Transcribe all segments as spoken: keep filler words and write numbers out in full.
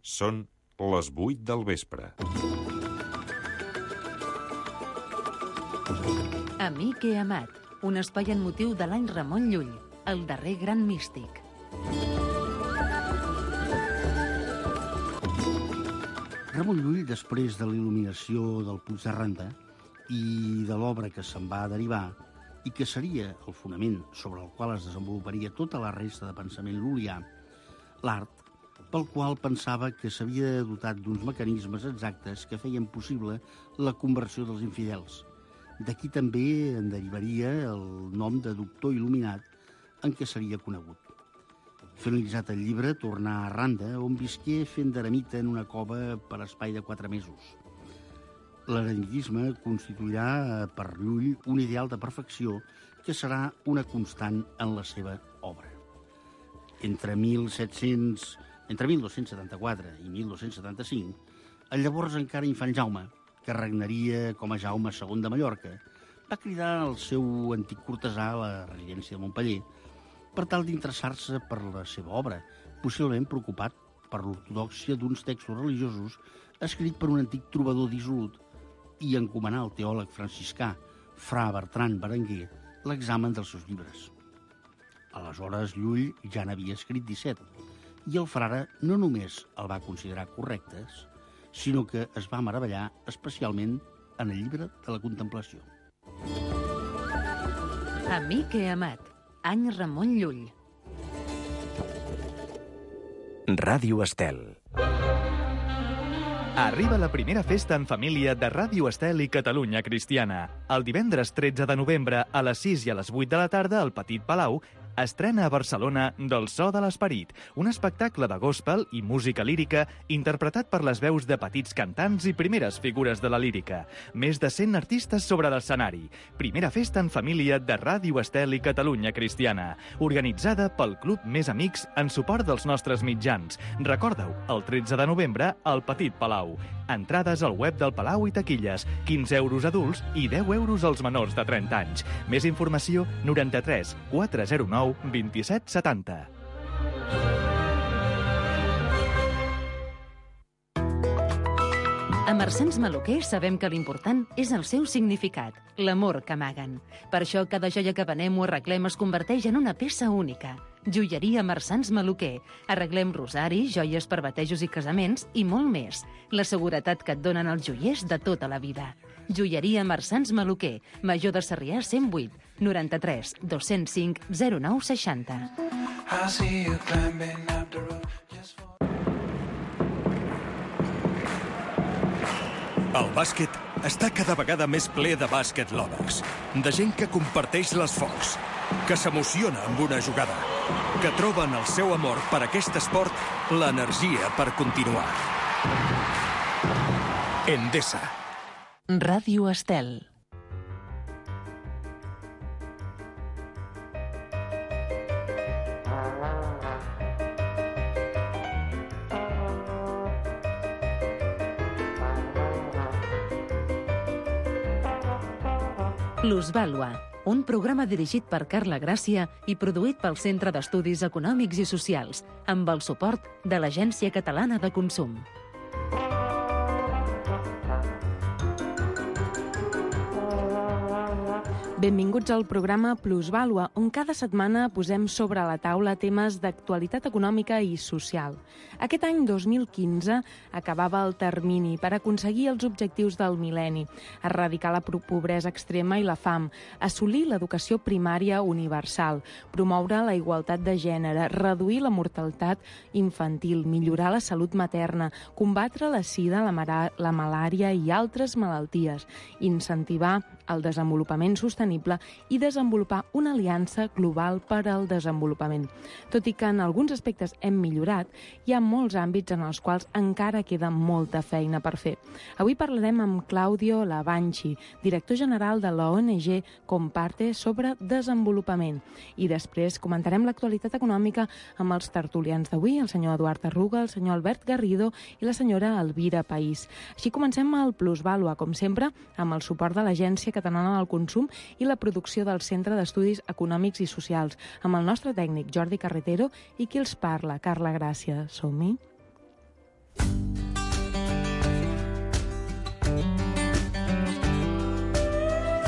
Són les vuit del vespre. Amic i amat, un espai en motiu de l'any Ramon Llull, el darrer gran místic. Ramon Llull, després de la il·luminació del Puig de Randa i de l'obra que se'n va derivar i que seria el fonament sobre el qual es desenvoluparia tota la resta de pensament lul·lià, l'art, pel qual pensava que s'havia dotat d'uns mecanismes exactes que feien possible la conversió dels infidels. D'aquí també en derivaria el nom de doctor il·luminat en què seria conegut. Finalitzat el llibre, tornà a Randa, on visqué fent d'eremita en una cova per espai de quatre mesos. L'eremitisme constituirà per Llull un ideal de perfecció que serà una constant en la seva obra. Entre mil set-cents... Entre mil dos-cents setanta-quatre i mil dos-cents setanta-cinc, el llavors encara infant Jaume, que regnaria com a Jaume segon de Mallorca, va cridar al seu antic cortesà a la residència de Montpeller per tal d'interessar-se per la seva obra, possiblement preocupat per l'ortodòxia d'uns textos religiosos escrit per un antic trobador dissolut i encomanar al teòleg franciscà, fra Bertran Berenguer, l'examen dels seus llibres. Aleshores, Llull ja n'havia escrit disset, i el frare no només el va considerar correctes, sinó que es va meravellar especialment en el llibre de la contemplació. Amic i amat, any Ramon Llull. Ràdio Estel. Arriba la primera festa en família de Ràdio Estel i Catalunya Cristiana. El divendres tretze de novembre a les sis i a les vuit de la tarda al Petit Palau estrena a Barcelona Del so de l'esperit, un espectacle de gospel i música lírica interpretat per les veus de petits cantants i primeres figures de la lírica. Més de cent artistes sobre l'escenari. Primera festa en família de Ràdio Estel i Catalunya Cristiana, organitzada pel Club Més Amics en suport dels nostres mitjans. Recorda-ho, el tretze de novembre al Petit Palau. Entrades al web del Palau i taquilles, quinze euros adults i deu euros als menors de trenta anys. Més informació, noranta-tres quatre zero nou vint-i-set setanta. A Marsans Maluquer sabem que l'important és el seu significat, l'amor que amaguen. Per això cada joia que venem o arreglem es converteix en una peça única. Joieria Marsans Maluquer. Arreglem rosaris, joies per batejos i casaments i molt més. La seguretat que et donen els joiers de tota la vida. Joieria Marsans Maluquer, Major de Sarrià cent vuit, noranta-tres dos-cents cinc zero nou seixanta. El bàsquet està cada vegada més ple de bàsquet lovers, de gent que comparteix les focs, que s'emociona amb una jugada, que troba en el seu amor per aquest esport l'energia per continuar. Endesa. Ràdio Estel. Plusvàlua, un programa dirigit per Carla Gràcia i produït pel Centre d'Estudis Econòmics i Socials, amb el suport de l'Agència Catalana de Consum. Benvinguts al programa Plusvàlua, on cada setmana posem sobre la taula temes d'actualitat econòmica i social. Aquest any dos mil quinze acabava el termini per aconseguir els objectius del mil·lenni, erradicar la pobresa extrema i la fam, assolir l'educació primària universal, promoure la igualtat de gènere, reduir la mortalitat infantil, millorar la salut materna, combatre la sida, la, la malària i altres malalties, incentivar el desenvolupament sostenible i desenvolupar una aliança global per al desenvolupament. Tot i que en alguns aspectes hem millorat, hi ha molts àmbits en els quals encara queda molta feina per fer. Avui parlarem amb Claudio Lavanchi, director general de l'O N G Comparte sobre desenvolupament. I després comentarem l'actualitat econòmica amb els tertulians d'avui, el senyor Eduard Arruga, el senyor Albert Garrido i la senyora Elvira País. Així comencem el Plusvàlua, com sempre, amb el suport de l'Agència Catalana del Consum i la producció del Centre d'Estudis Econòmics i Socials, amb el nostre tècnic Jordi Carretero i qui els parla, Carla Gràcia. Som-hi.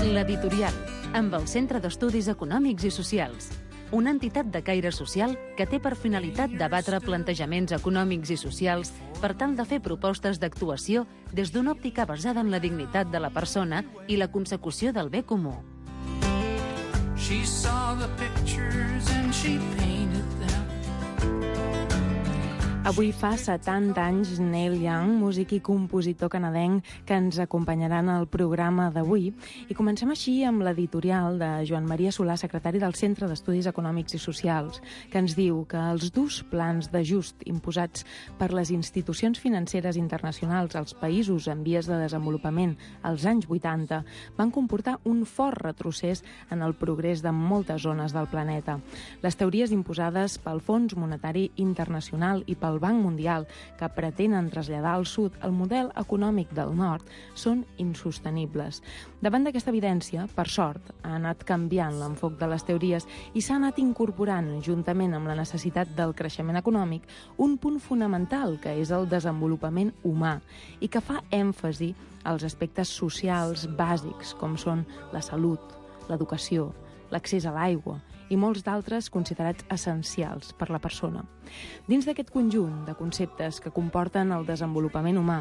L'Editorial, amb el Centre d'Estudis Econòmics i Socials, una entitat de caire social que té per finalitat debatre plantejaments econòmics i socials per tal de fer propostes d'actuació des d'una òptica basada en la dignitat de la persona i la consecució del bé comú. She saw the pictures and she painted them. Avui fa setanta anys Neil Young, músic i compositor canadenc, que ens acompanyarà en el programa d'avui. I comencem així amb l'editorial de Joan Maria Solà, secretari del Centre d'Estudis Econòmics i Socials, que ens diu que els durs plans d'ajust imposats per les institucions financeres internacionals als països en vies de desenvolupament als anys vuitanta van comportar un fort retrocés en el progrés de moltes zones del planeta. Les teories imposades pel Fons Monetari Internacional i pel Banc Mundial, que pretenen traslladar al sud el model econòmic del nord, són insostenibles. Davant d'aquesta evidència, per sort, ha anat canviant l'enfoc de les teories i s'ha anat incorporant, juntament amb la necessitat del creixement econòmic, un punt fonamental, que és el desenvolupament humà, i que fa èmfasi als aspectes socials bàsics, com són la salut, l'educació, l'accés a l'aigua i molts d'altres considerats essencials per la persona. Dins d'aquest conjunt de conceptes que comporten el desenvolupament humà,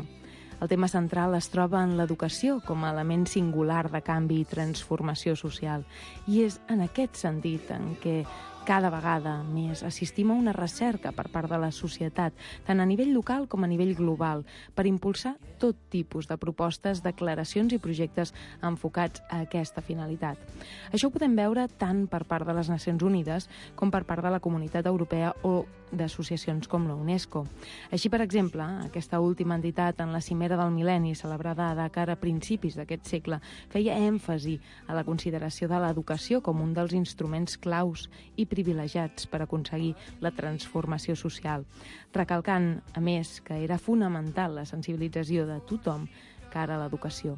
el tema central es troba en l'educació com a element singular de canvi i transformació social. I és en aquest sentit en què cada vegada més assistim a una recerca per part de la societat, tant a nivell local com a nivell global, per impulsar tot tipus de propostes, declaracions i projectes enfocats a aquesta finalitat. Això ho podem veure tant per part de les Nacions Unides com per part de la Comunitat Europea o d'associacions com la UNESCO. Així, per exemple, aquesta última entitat en la Cimera del Mil·lenni, celebrada a Dakar a principis d'aquest segle, feia èmfasi a la consideració de l'educació com un dels instruments claus i privilegiats per aconseguir la transformació social, recalcant, a més, que era fonamental la sensibilització de tothom cara a l'educació.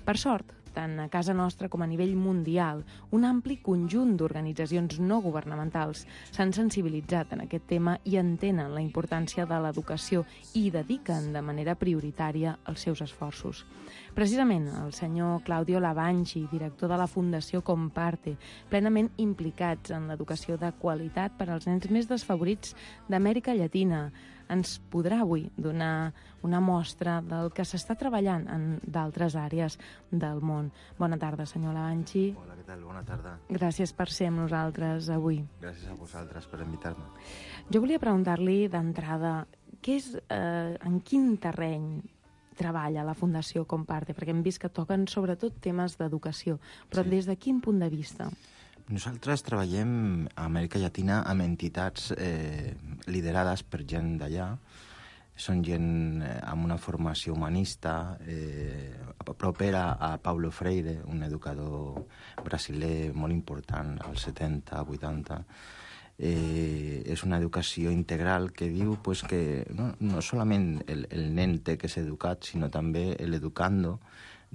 Per sort, tant a casa nostra com a nivell mundial, un ampli conjunt d'organitzacions no governamentals s'han sensibilitzat en aquest tema i entenen la importància de l'educació i dediquen de manera prioritària els seus esforços. Precisament, el senyor Claudio Lavanchi, director de la Fundació Comparte, plenament implicats en l'educació de qualitat per als nens més desfavorits d'Amèrica Llatina, ens podrà avui donar una mostra del que s'està treballant en d'altres àrees del món. Bona tarda, senyor Lavanchi. Hola, què tal? Bona tarda. Gràcies per ser amb nosaltres avui. Gràcies a vosaltres per invitar-me. Jo volia preguntar-li d'entrada, què és, eh, en quin terreny treballa la Fundació Comparte? Perquè hem vist que toquen sobretot temes d'educació, però sí. Des de quin punt de vista? Nosaltres treballem a Amèrica Llatina amb entitats eh, liderades per gent d'allà. Són gent eh, amb una formació humanista, eh, propera a Paulo Freire, un educador brasiler molt important als setanta, vuitanta. Eh, és una educació integral que diu pues, que no, no solament el, el nen té que ser educat, sinó també l'educando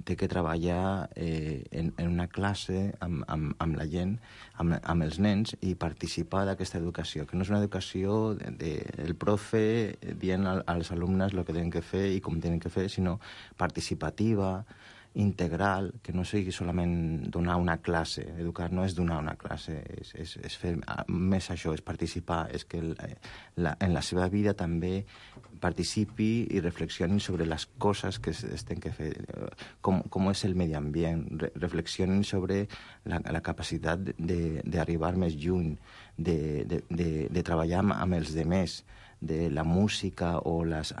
té que treballar eh, en, en una classe amb, amb, amb la gent, amb, amb els nens, i participar d'aquesta educació, que no és una educació del de, de, profe dient al, als alumnes el que tenen que fer i com tenen que fer, sinó participativa, integral, que no sigui solament donar una classe. Educar no és donar una classe, és, és, és fer més això, és participar, és que la, en la seva vida també participi i reflexioni sobre les coses que es tenen que fer, com, com és el medi ambient, re, reflexionin sobre la, la capacitat d'arribar més lluny, de, de, de, de treballar amb, amb els demés, de la música o les,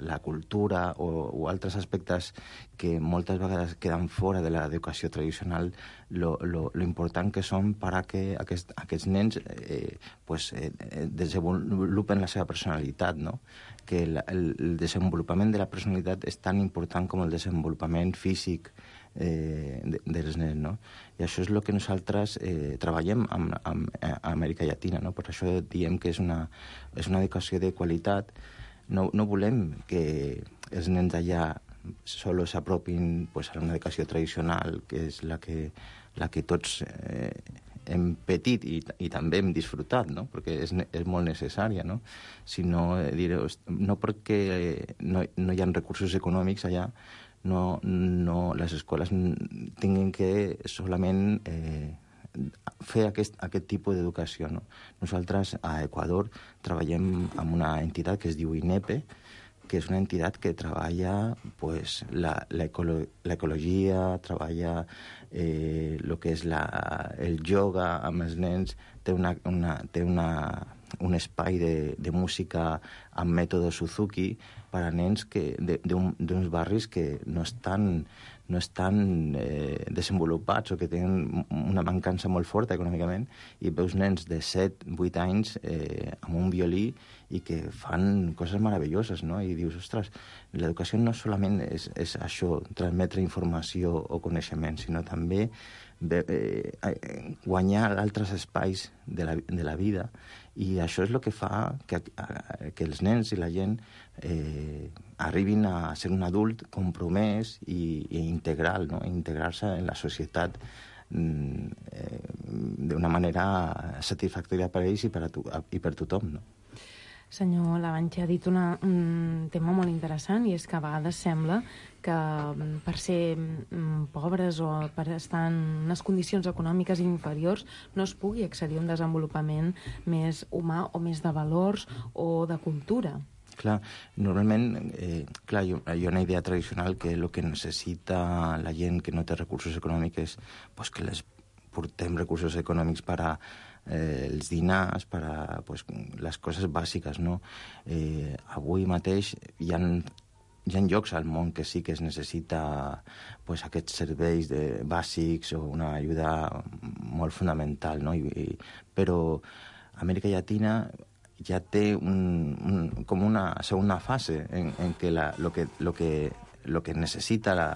la cultura o, o altres aspectes que moltes vegades queden fora de l'educació tradicional, lo, lo, lo important que són per a que aquest, aquests nens eh, pues, eh, desenvolupen la seva personalitat, no? Que el, el desenvolupament de la personalitat és tan important com el desenvolupament físic eh, de, dels nens, no? I això és el que nosaltres eh, treballem amb, amb, amb Amèrica Llatina, no? Per això diem que és una, és una educació de qualitat. No, no volem que els nens d'allà solo s'apropin pues, a una educació tradicional, que és la que, la que tots eh, hem patit i, i també hem disfrutat, no? Perquè és, és molt necessària, no? Sinó, eh, dir, no perquè no, no hi ha recursos econòmics allà, no, no les escoles tinguin que solament eh, fer aquest, aquest tipus d'educació, no? Nosaltres a Equador treballem amb una entitat que es diu INEPE, que és una entitat que treballa pues, l'ecologia, treballa eh, el que és la, el yoga amb els nens, té, una, una, té una, un espai de, de música amb mètode Suzuki per a nens que, d'uns barris que no estan, no estan eh, desenvolupats o que tenen una mancança molt forta econòmicament, i veus nens de set vuit anys eh, amb un violí i que fan coses meravelloses, no? I dius, ostres, l'educació no solament és, és això, transmetre informació o coneixement, sinó també eh, guanyar altres espais de la, de la vida, i això és el que fa que, que els nens i la gent eh, arribin a ser un adult compromès i, i integral, no? Integrar-se en la societat eh, d'una manera satisfactòria per a ells i per, a tu, i per tothom, no? Senyor Lavanchi ha dit una, un tema molt interessant, i és que a vegades sembla que per ser pobres o per estar en unes condicions econòmiques inferiors no es pugui accedir a un desenvolupament més humà o més de valors o de cultura. Clar, normalment, eh, clar, hi ha una idea tradicional que el que necessita la gent que no té recursos econòmics és pues, que les portem recursos econòmics per a eh, els dinars, per a pues, les coses bàsiques, no? Eh, avui mateix hi ha, hi ha llocs al món que sí que es necessita pues, aquests serveis de, bàsics o una ajuda molt fonamental, no? I, i, però Amèrica Llatina ja té un, un, com una segona fase en, en què la, lo que, lo que el que necessita la,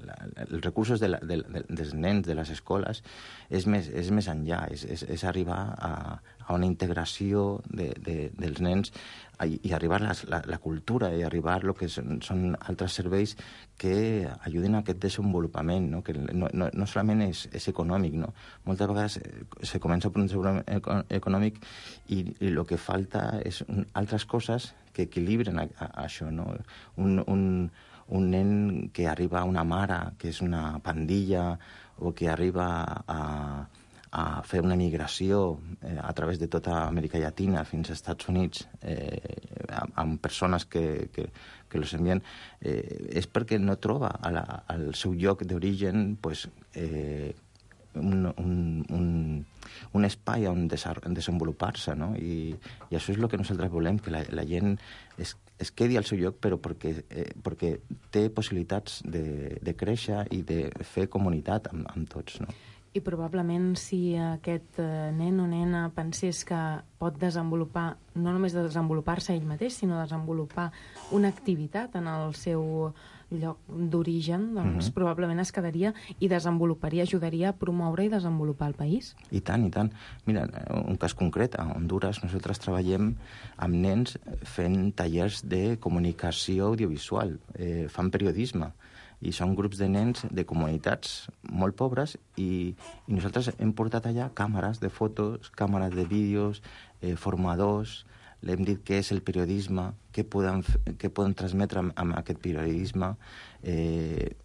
la, els recursos de la, de, de, dels nens de les escoles és més, és més enllà, és, és, és arribar a, a una integració de, de, dels nens i, i arribar a la, la cultura i arribar a lo que són, són altres serveis que ajuden a aquest desenvolupament, no? Que no, no, no solament és, és econòmic, no? Moltes vegades se comença per un desenvolupament econòmic i, i el que falta és un, altres coses que equilibren a, a, a això, no? Un, un, un nen que arriba a una mare, que és una pandilla, o que arriba a, a fer una migració eh, a través de tota Amèrica Llatina fins als Estats Units eh, amb, amb persones que, que, que los envien, eh, és perquè no troba a la, al seu lloc d'origen pues, eh, un, un, un, un espai on desenvolupar-se, no? I, i això és el que nosaltres volem, que la, la gent es, es quedi al seu lloc, però perquè, eh, perquè té possibilitats de, de créixer i de fer comunitat amb, amb tots, no? I probablement si aquest nen o nena pensés que pot desenvolupar, no només desenvolupar-se ell mateix, sinó desenvolupar una activitat en el seu lloc d'origen, doncs mm-hmm. probablement es quedaria i desenvoluparia, ajudaria a promoure i desenvolupar el país. I tant, i tant. Mira, un cas concret, a Honduras nosaltres treballem amb nens fent tallers de comunicació audiovisual, eh, fan periodisme, i són grups de nens de comunitats molt pobres i, i nosaltres hem portat allà càmeres de fotos, càmeres de vídeos, eh, formadors, l'hem dit què és el periodisme, què poden, què poden transmetre amb, amb aquest periodisme, eh,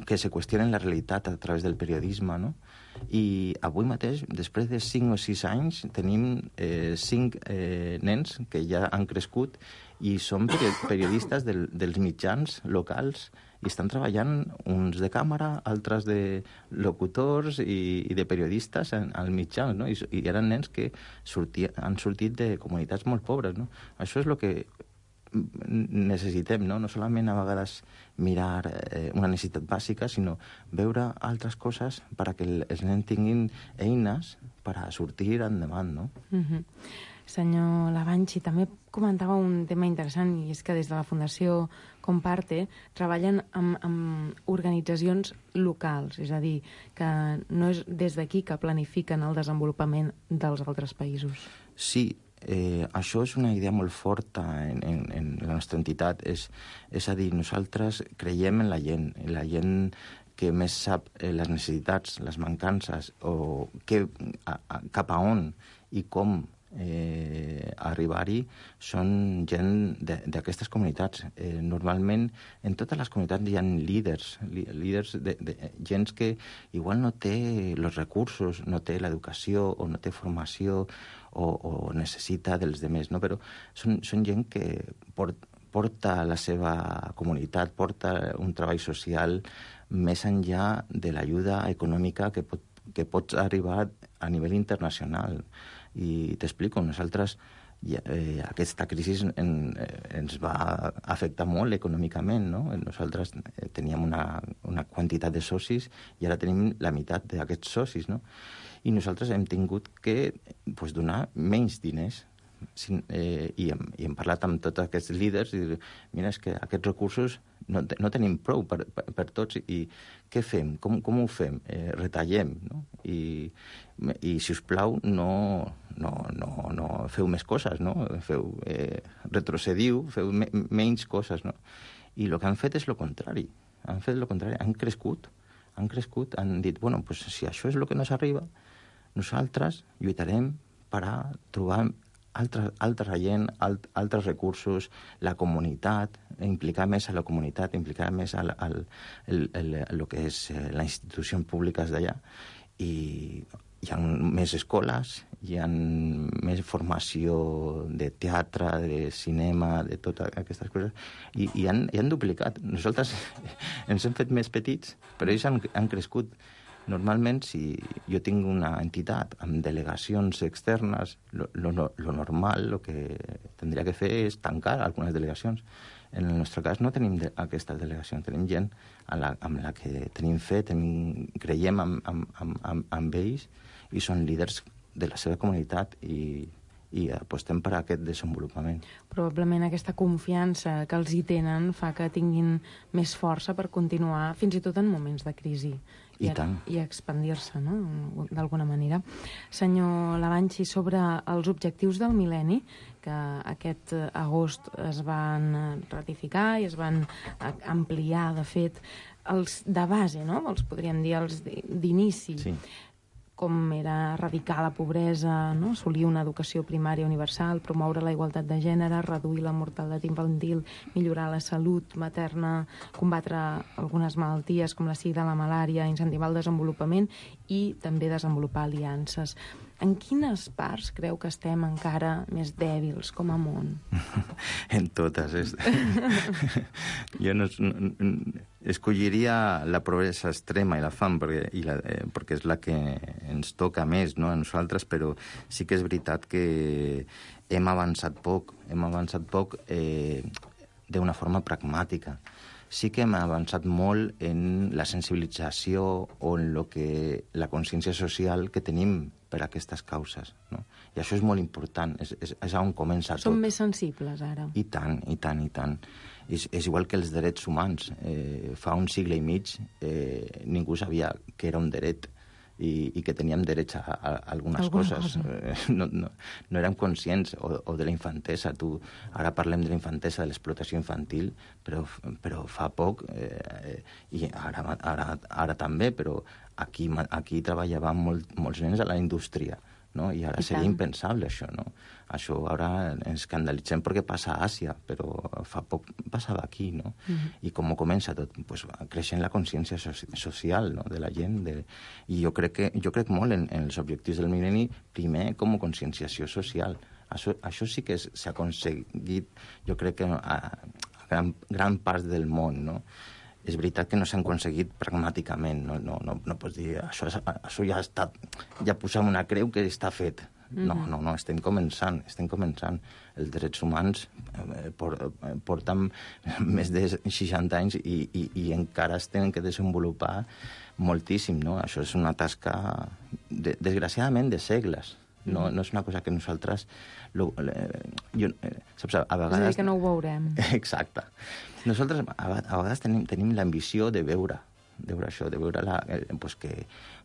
que se qüestionen la realitat a través del periodisme, no? I avui mateix, després de cinc o sis anys, tenim eh, cinc eh, nens que ja han crescut i són periodistes del, dels mitjans locals i estan treballant uns de càmera, altres de locutors i, i de periodistes en, al mitjans, no? I, i eren nens que sortia, han sortit de comunitats molt pobres, no? Això és el que necessitem, no? No solament a vegades mirar eh, una necessitat bàsica, sinó veure altres coses perquè els nens tinguin eines per a sortir endavant, no? Mm-hmm. Senyor Lavanchi, també comentava un tema interessant, i és que des de la Fundació Comparte treballen amb, amb organitzacions locals, és a dir, que no és des d'aquí que planifiquen el desenvolupament dels altres països. Sí, eh, això és una idea molt forta en, en, en la nostra entitat, és, és a dir, nosaltres creiem en la gent, en la gent que més sap eh, les necessitats, les mancances, o que, a, a, cap a on i com eh, arribar-hi són gent d'aquestes comunitats. Eh, normalment, en totes les comunitats hi ha líders, líders de, de gent que igual no té els recursos, no té l'educació o no té formació o, o necessita dels demés, no? Però són, són gent que port, porta la seva comunitat, porta un treball social més enllà de l'ajuda econòmica que pot, que pots arribar a nivell internacional. I t'explico, nosaltres, eh, aquesta crisi en, eh, ens va afectar molt econòmicament, no? Nosaltres eh, teníem una, una quantitat de socis i ara tenim la meitat d'aquests socis, no? I nosaltres hem tingut que pues, donar menys diners. Sin, eh, i, hem, i hem parlat amb tots aquests líders i dir, mira, és que aquests recursos no, te, no tenim prou per, per, per tots i què fem? Com, com ho fem? Eh, retallem, no? I, i si us plau, no, no, no, no feu més coses, no? Feu, eh, retrocediu, feu me, menys coses, no? I el que han fet és el contrari. Han fet el contrari, han crescut, han crescut, han dit, bueno, pues, si això és el que nos arriba, nosaltres lluitarem per a trobar altra, altra gent, alt, altres recursos, la comunitat, implicar més a la comunitat, implicar més al, al el, el, el, el que és eh, la institució pública d'allà. I hi ha més escoles, hi ha més formació de teatre, de cinema, de totes aquestes coses, i, i, han, i han duplicat. Nosaltres ens hem fet més petits, però ells han, han crescut. Normalment, si jo tinc una entitat amb delegacions externes, lo, lo, lo normal, el que tindria que fer és tancar algunes delegacions. En el nostre cas no tenim de, aquesta delegació, tenim gent amb la, amb la que tenim fe, tenim, creiem amb, amb, amb, amb, amb ells i són líders de la seva comunitat i, i apostem per a aquest desenvolupament. Probablement aquesta confiança que els hi tenen fa que tinguin més força per continuar fins i tot en moments de crisi. I, I, tant. I expandir-se, no?, d'alguna manera. Senyor Lavanchi, sobre els objectius del mil·lenni, que aquest agost es van ratificar i es van ampliar, de fet, els de base, no?, els podríem dir els d'inici. Sí. Com era erradicar la pobresa, no? Assolir una educació primària universal, promoure la igualtat de gènere, reduir la mortalitat infantil, millorar la salut materna, combatre algunes malalties com la sida, la malària, incentivar el desenvolupament i també desenvolupar aliances. En quines parts creu que estem encara més dèbils com a món? En totes. És... jo no, no, escolliria la pobresa extrema i la fam perquè, i la, eh, perquè és la que ens toca més, no?, a nosaltres, però sí que és veritat que hem avançat poc, hem avançat poc eh, d'una forma pragmàtica. Sí que hem avançat molt en la sensibilització o en lo que, la consciència social que tenim per a aquestes causes, no? I això és molt important, és, és, és on comença tot. Som més sensibles, ara. I tant, i tant, i tant. És, és igual que els drets humans. Eh, fa un segle i mig eh, ningú sabia que era un dret i, i que teníem drets a, a, a algunes Alguna coses. cosa. No, no, no érem conscients, o, o de la infantesa. Tu, ara parlem de la infantesa, de l'explotació infantil, però, però fa poc, eh, i ara, ara, ara també, però aquí, aquí treballaven molt, molts nens a la indústria, no? I ara I seria tant. impensable, això, no? Això ara ens escandalitzem perquè passa a Àsia, però fa poc passava aquí, no? Mhm. I com comença tot? Pues, creixent la consciència so social, no?, de la gent. De... I jo crec, que, jo crec molt en, en els objectius del mil·lenni, primer com a conscienciació social. Això, això sí que s'ha aconseguit, jo crec que a, a gran, gran part del món, no? És veritat que no s'han aconseguit pragmàticament, no, no, no, no pots dir això, això ja ha estat, ja posem una creu que està fet. Mm-hmm. No, no, no, estem començant, estem començant. Els drets humans eh, porten més de seixanta anys i, i, i encara es tenen que desenvolupar moltíssim, no? Això és una tasca, de, desgraciadament, de segles. No, no és una cosa que nosaltres... Lo, eh, jo, eh, saps, a vegades... És a dir, que no ho veurem. Exacte. Nosaltres a, a vegades tenim, tenim l'ambició de veure, de veure això, de veure la, eh, pues que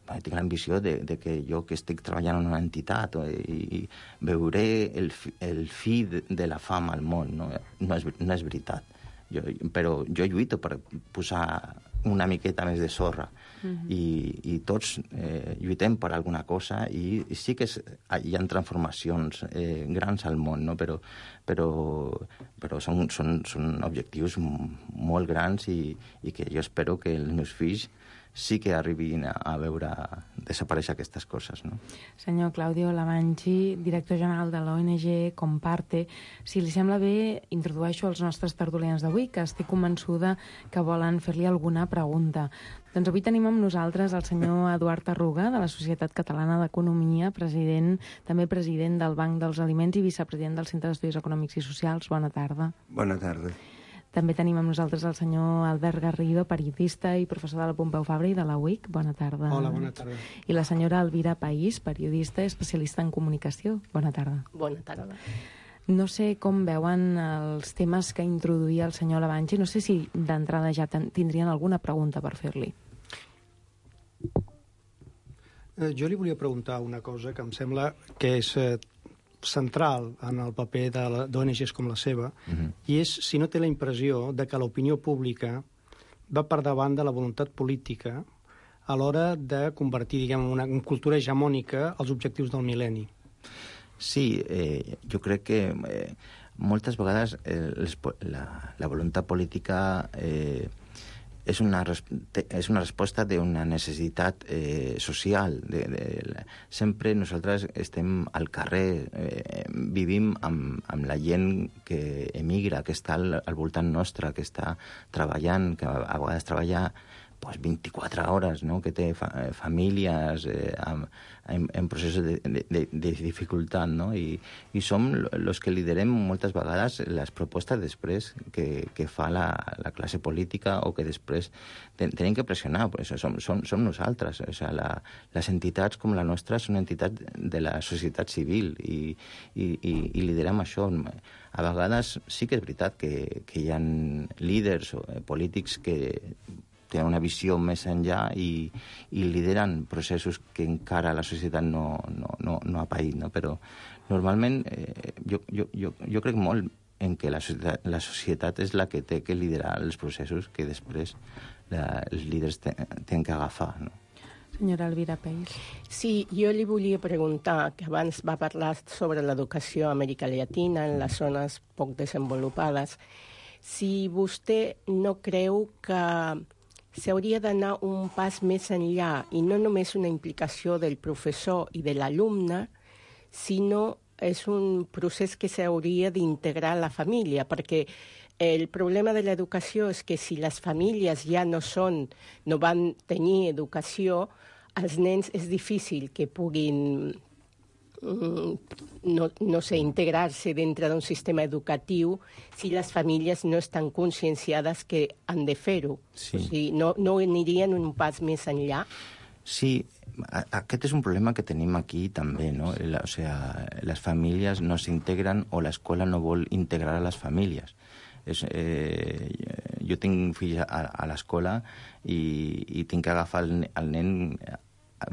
bueno, tinc l'ambició de, de que jo que estic treballant en una entitat o, i, i veuré el, el fi de, de la fam al món. No, no, és, no és veritat. Jo, però jo lluito per posar una miqueta més de sorra. Uh-huh. I, i tots eh, lluitem per alguna cosa i, i sí que és, hi ha transformacions eh, grans al món, no? però, però, però són, són, són objectius molt grans i, i que jo espero que els meus fills sí que arribin a, a veure desaparèixer aquestes coses, no? Senyor Claudio Lavanchi, director general de l'O N G Comparte, si li sembla bé, introdueixo els nostres tertulians d'avui, que estic convençuda que volen fer-li alguna pregunta. Doncs avui tenim amb nosaltres el senyor Eduard Arruga, de la Societat Catalana d'Economia, president, també president del Banc dels Aliments i vicepresident del Centre d'Estudis Econòmics i Socials. Bona tarda. Bona tarda. També tenim amb nosaltres el senyor Albert Garrido, periodista i professor de la Pompeu Fabra i de la U I C. Bona tarda. Hola, bona tarda. I la senyora Elvira País, periodista i especialista en comunicació. Bona tarda. Bona tarda. No sé com veuen els temes que introduïa el senyor Lavanchi. No sé si d'entrada ja tindrien alguna pregunta per fer-li. Eh, jo li volia preguntar una cosa que em sembla que és eh, central en el paper d'O N Ges com la seva, uh-huh. i és si no té la impressió de que l'opinió pública va per davant de la voluntat política a l'hora de convertir, diguem, una, una cultura hegemònica als objectius del mil·lenni. Sí, eh, jo crec que eh, moltes vegades eh, les, la, la voluntat política eh, és una, és una resposta d'una necessitat eh, social. De, de, sempre nosaltres estem al carrer, eh, vivim amb, amb la gent que emigra, que està al, al voltant nostre, que està treballant, que a, a vegades treballa pues, vint-i-quatre hores, no? Que té fa, famílies eh, en, en, en processos de, de, de dificultat, no? I, i som els que liderem moltes vegades les propostes després que, que fa la, la classe política o que després ten, tenim que pressionar, pues, som, som, som nosaltres. O sigui, la, les entitats com la nostra són entitats de la societat civil i, i, i, i liderem això. A vegades sí que és veritat que, que hi ha líders o eh, polítics que tenen una visió més enllà i, i lideren processos que encara la societat no, no, no, no ha paït, no? Però normalment eh, jo, jo, jo, jo crec molt en que la societat, la societat és la que té que liderar els processos que després la, els líders tenen que agafar, no? Senyora Elvira País. Sí, jo li volia preguntar, que abans va parlar sobre l'educació a Amèrica Llatina, en les zones poc desenvolupades, si vostè no creu que s'hauria d'anar un pas més enllà i no només una implicació del professor i de l'alumne, sinó és un procés que s'hauria d'integrar a la família, perquè el problema de l'educació és que si les famílies ja no són, no van tenir educació, als nens és difícil que puguin no, no sé, integrar-se dintre d'un sistema educatiu si les famílies no estan conscienciades que han de fer-ho. Sí. O sigui, no, no anirien un pas més enllà? Sí, aquest és un problema que tenim aquí també, no? O sea, les famílies no s'integren o l'escola no vol integrar a les famílies. És, eh, jo tinc fills a, a l'escola i, i tinc que agafar el, el nen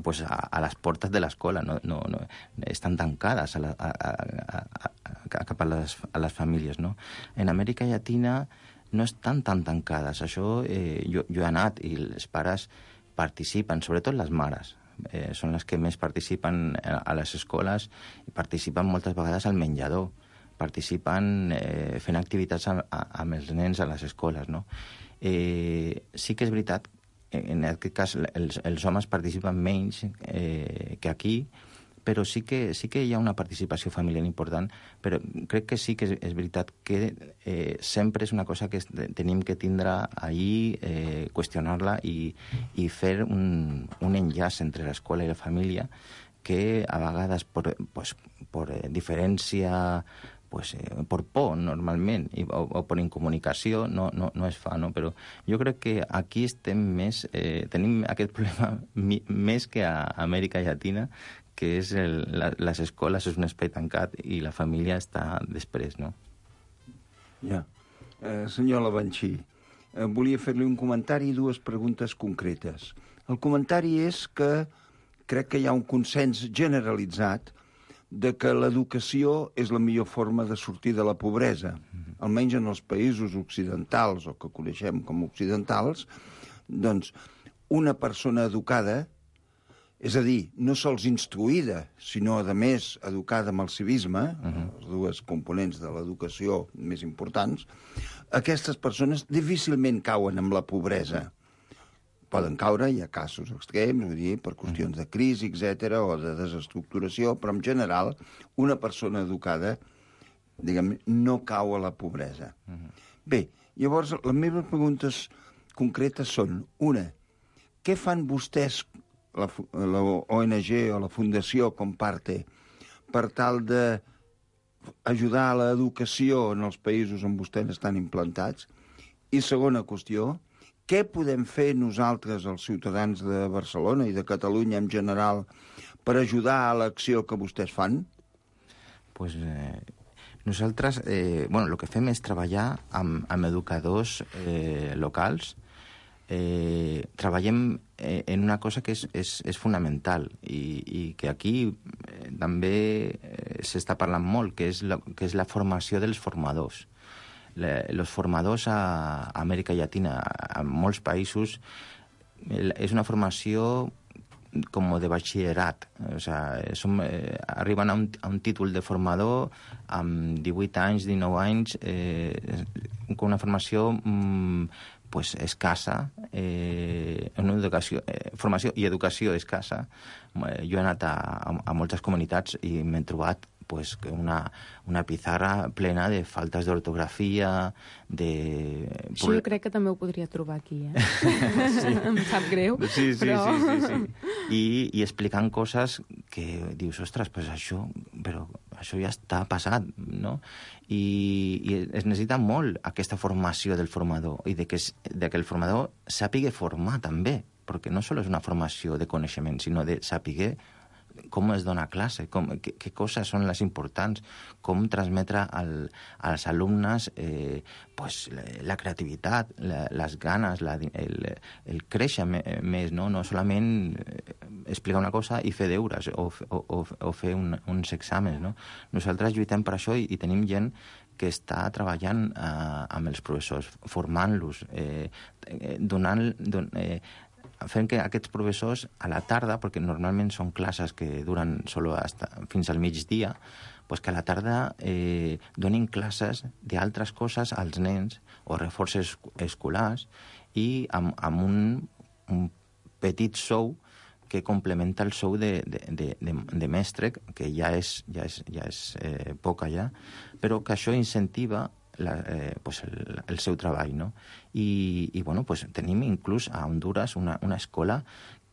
pues a, a les portes de l'escola, no, no, no, estan tancades a la, a, a, a, a, cap a les, a les famílies, no? En Amèrica Llatina no estan tan tancades. Això eh, jo, jo he anat i els pares participen, sobretot les mares, eh, són les que més participen a, a les escoles i participen moltes vegades al menjador, participen eh, fent activitats amb, amb els nens a les escoles, no? Eh, sí que és veritat, en aquest cas els, els homes participen menys eh, que aquí, però sí que, sí que hi ha una participació familiar important, però crec que sí que és, és veritat que eh, sempre és una cosa que tenim que tindre ahí, eh, qüestionar-la i, i fer un, un enllaç entre l'escola i la família que a vegades per, pues, per diferència, pues, eh, per por normalment i, o, o per incomunicació no, no, no es fa, no? Però jo crec que aquí estem més, eh, tenim aquest problema mi, més que a Amèrica Llatina, que és el, la, les escoles és un espai tancat i la família està després, no? Ja. Eh, senyor Lavanchi, eh, volia fer-li un comentari i dues preguntes concretes. El comentari és que crec que hi ha un consens generalitzat de que l'educació és la millor forma de sortir de la pobresa. Almenys en els països occidentals, o que coneixem com occidentals, Doncs una persona educada, és a dir, no sols instruïda, sinó, a més, educada amb el civisme, uh-huh. les dues components de l'educació més importants, aquestes persones difícilment cauen amb la pobresa. Poden caure, hi ha casos extrems, vull dir, per qüestions de crisi, etcètera, o de desestructuració, però en general una persona educada, diguem, no cau a la pobresa. Uh-huh. Bé, llavors, les meves preguntes concretes són, una, què fan vostès, la, la O N G o la Fundació Comparte, per tal de ajudar a l'educació en els països on vostès estan implantats? I segona qüestió, què podem fer nosaltres, els ciutadans de Barcelona i de Catalunya en general, per ajudar a l'acció que vostès fan? Pues eh, nosaltres, eh, bueno, el que fem és treballar amb, amb educadors eh, locals. Eh, treballem eh, en una cosa que és, és, és fonamental i, i que aquí eh, també eh, s'està parlant molt, que és, la, que és la formació dels formadors. Els formadors a Amèrica Llatina, a molts països, és una formació com de batxillerat. O sea, som, eh, arriben a un, a un títol de formador amb divuit anys, dinou anys, eh, con una formació mm, pues, escassa, eh, una educació, eh, formació i educació escassa. Jo he anat a, a, a moltes comunitats i m'he trobat pues, una, una pizarra plena de faltes d'ortografia, de... Això jo crec que també ho podria trobar aquí, eh? Sí. Em sap greu, sí, sí, però... Sí, sí, sí. I, i explicant coses que dius, ostres, pues això, però això ja està passat, no? I, i es necessita molt aquesta formació del formador i de que, de que el formador sàpiga formar també, perquè no sols és una formació de coneixement, sinó de saber com es dona classe, com, què, què coses són les importants, com transmetre al, als alumnes eh, pues, la, la creativitat, la, les ganes, la, el, el créixer més, no, no solament explicar una cosa i fer deures o, o, o, o fer un, uns exàmens. No? Nosaltres lluitem per això i, i tenim gent que està treballant eh, amb els professors, formant-los, eh, donant... Don, eh, fent que aquests professors a la tarda, perquè normalment són classes que duren solo hasta, fins al migdia, pues que a la tarda eh, donin classes d'altres coses als nens o reforços escolars i amb, amb un, un petit sou que complementa el sou de, de, de, de, de mestre, que ja és, ja és, ja és eh, poca ja, però que això incentiva La, eh, pues el, el seu treball, no? I, i bueno, pues tenim inclús a Honduras una, una escola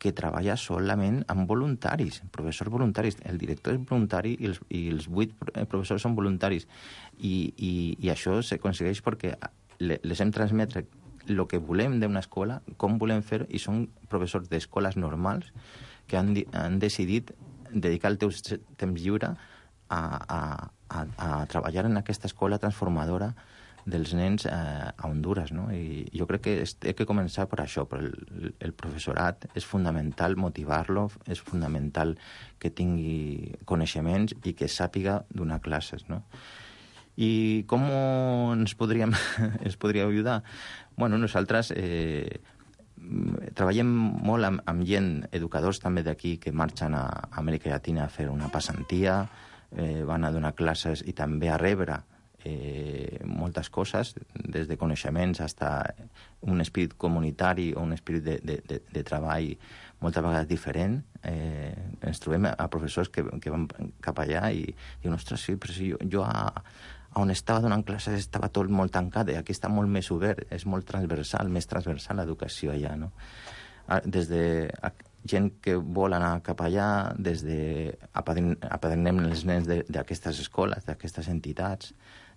que treballa solament amb voluntaris, professors voluntaris. El director és voluntari i els, i els vuit professors són voluntaris. I, i, i això s'aconsegueix perquè les hem transmetre el que volem d'una escola, com volem fer, i són professors d'escoles normals que han, han decidit dedicar el teu temps lliure a, a, a, a treballar en aquesta escola transformadora dels nens eh, a Honduras, no? I jo crec que té que començar per això, per el, el professorat. És fundamental motivar-lo, és fundamental que tingui coneixements i que sàpiga donar classes, no? I com ens podríem ens podria ajudar? Bueno, nosaltres eh, treballem molt amb, amb gent, educadors també d'aquí, que marxen a Amèrica Llatina a fer una passantia, eh, van a donar classes i també a rebre eh, moltes coses, des de coneixements fins a un espírit comunitari o un espírit de, de, de, de treball moltes vegades diferent. Eh, ens trobem a professors que, que van cap allà i diuen, ostres, sí, però si jo, jo a, on estava donant classes estava tot molt tancat, i aquí està molt més obert, és molt transversal, més transversal l'educació allà, no? Des de gent que vol anar cap allà, des de apadrinem els nens d'aquestes escoles, d'aquestes entitats,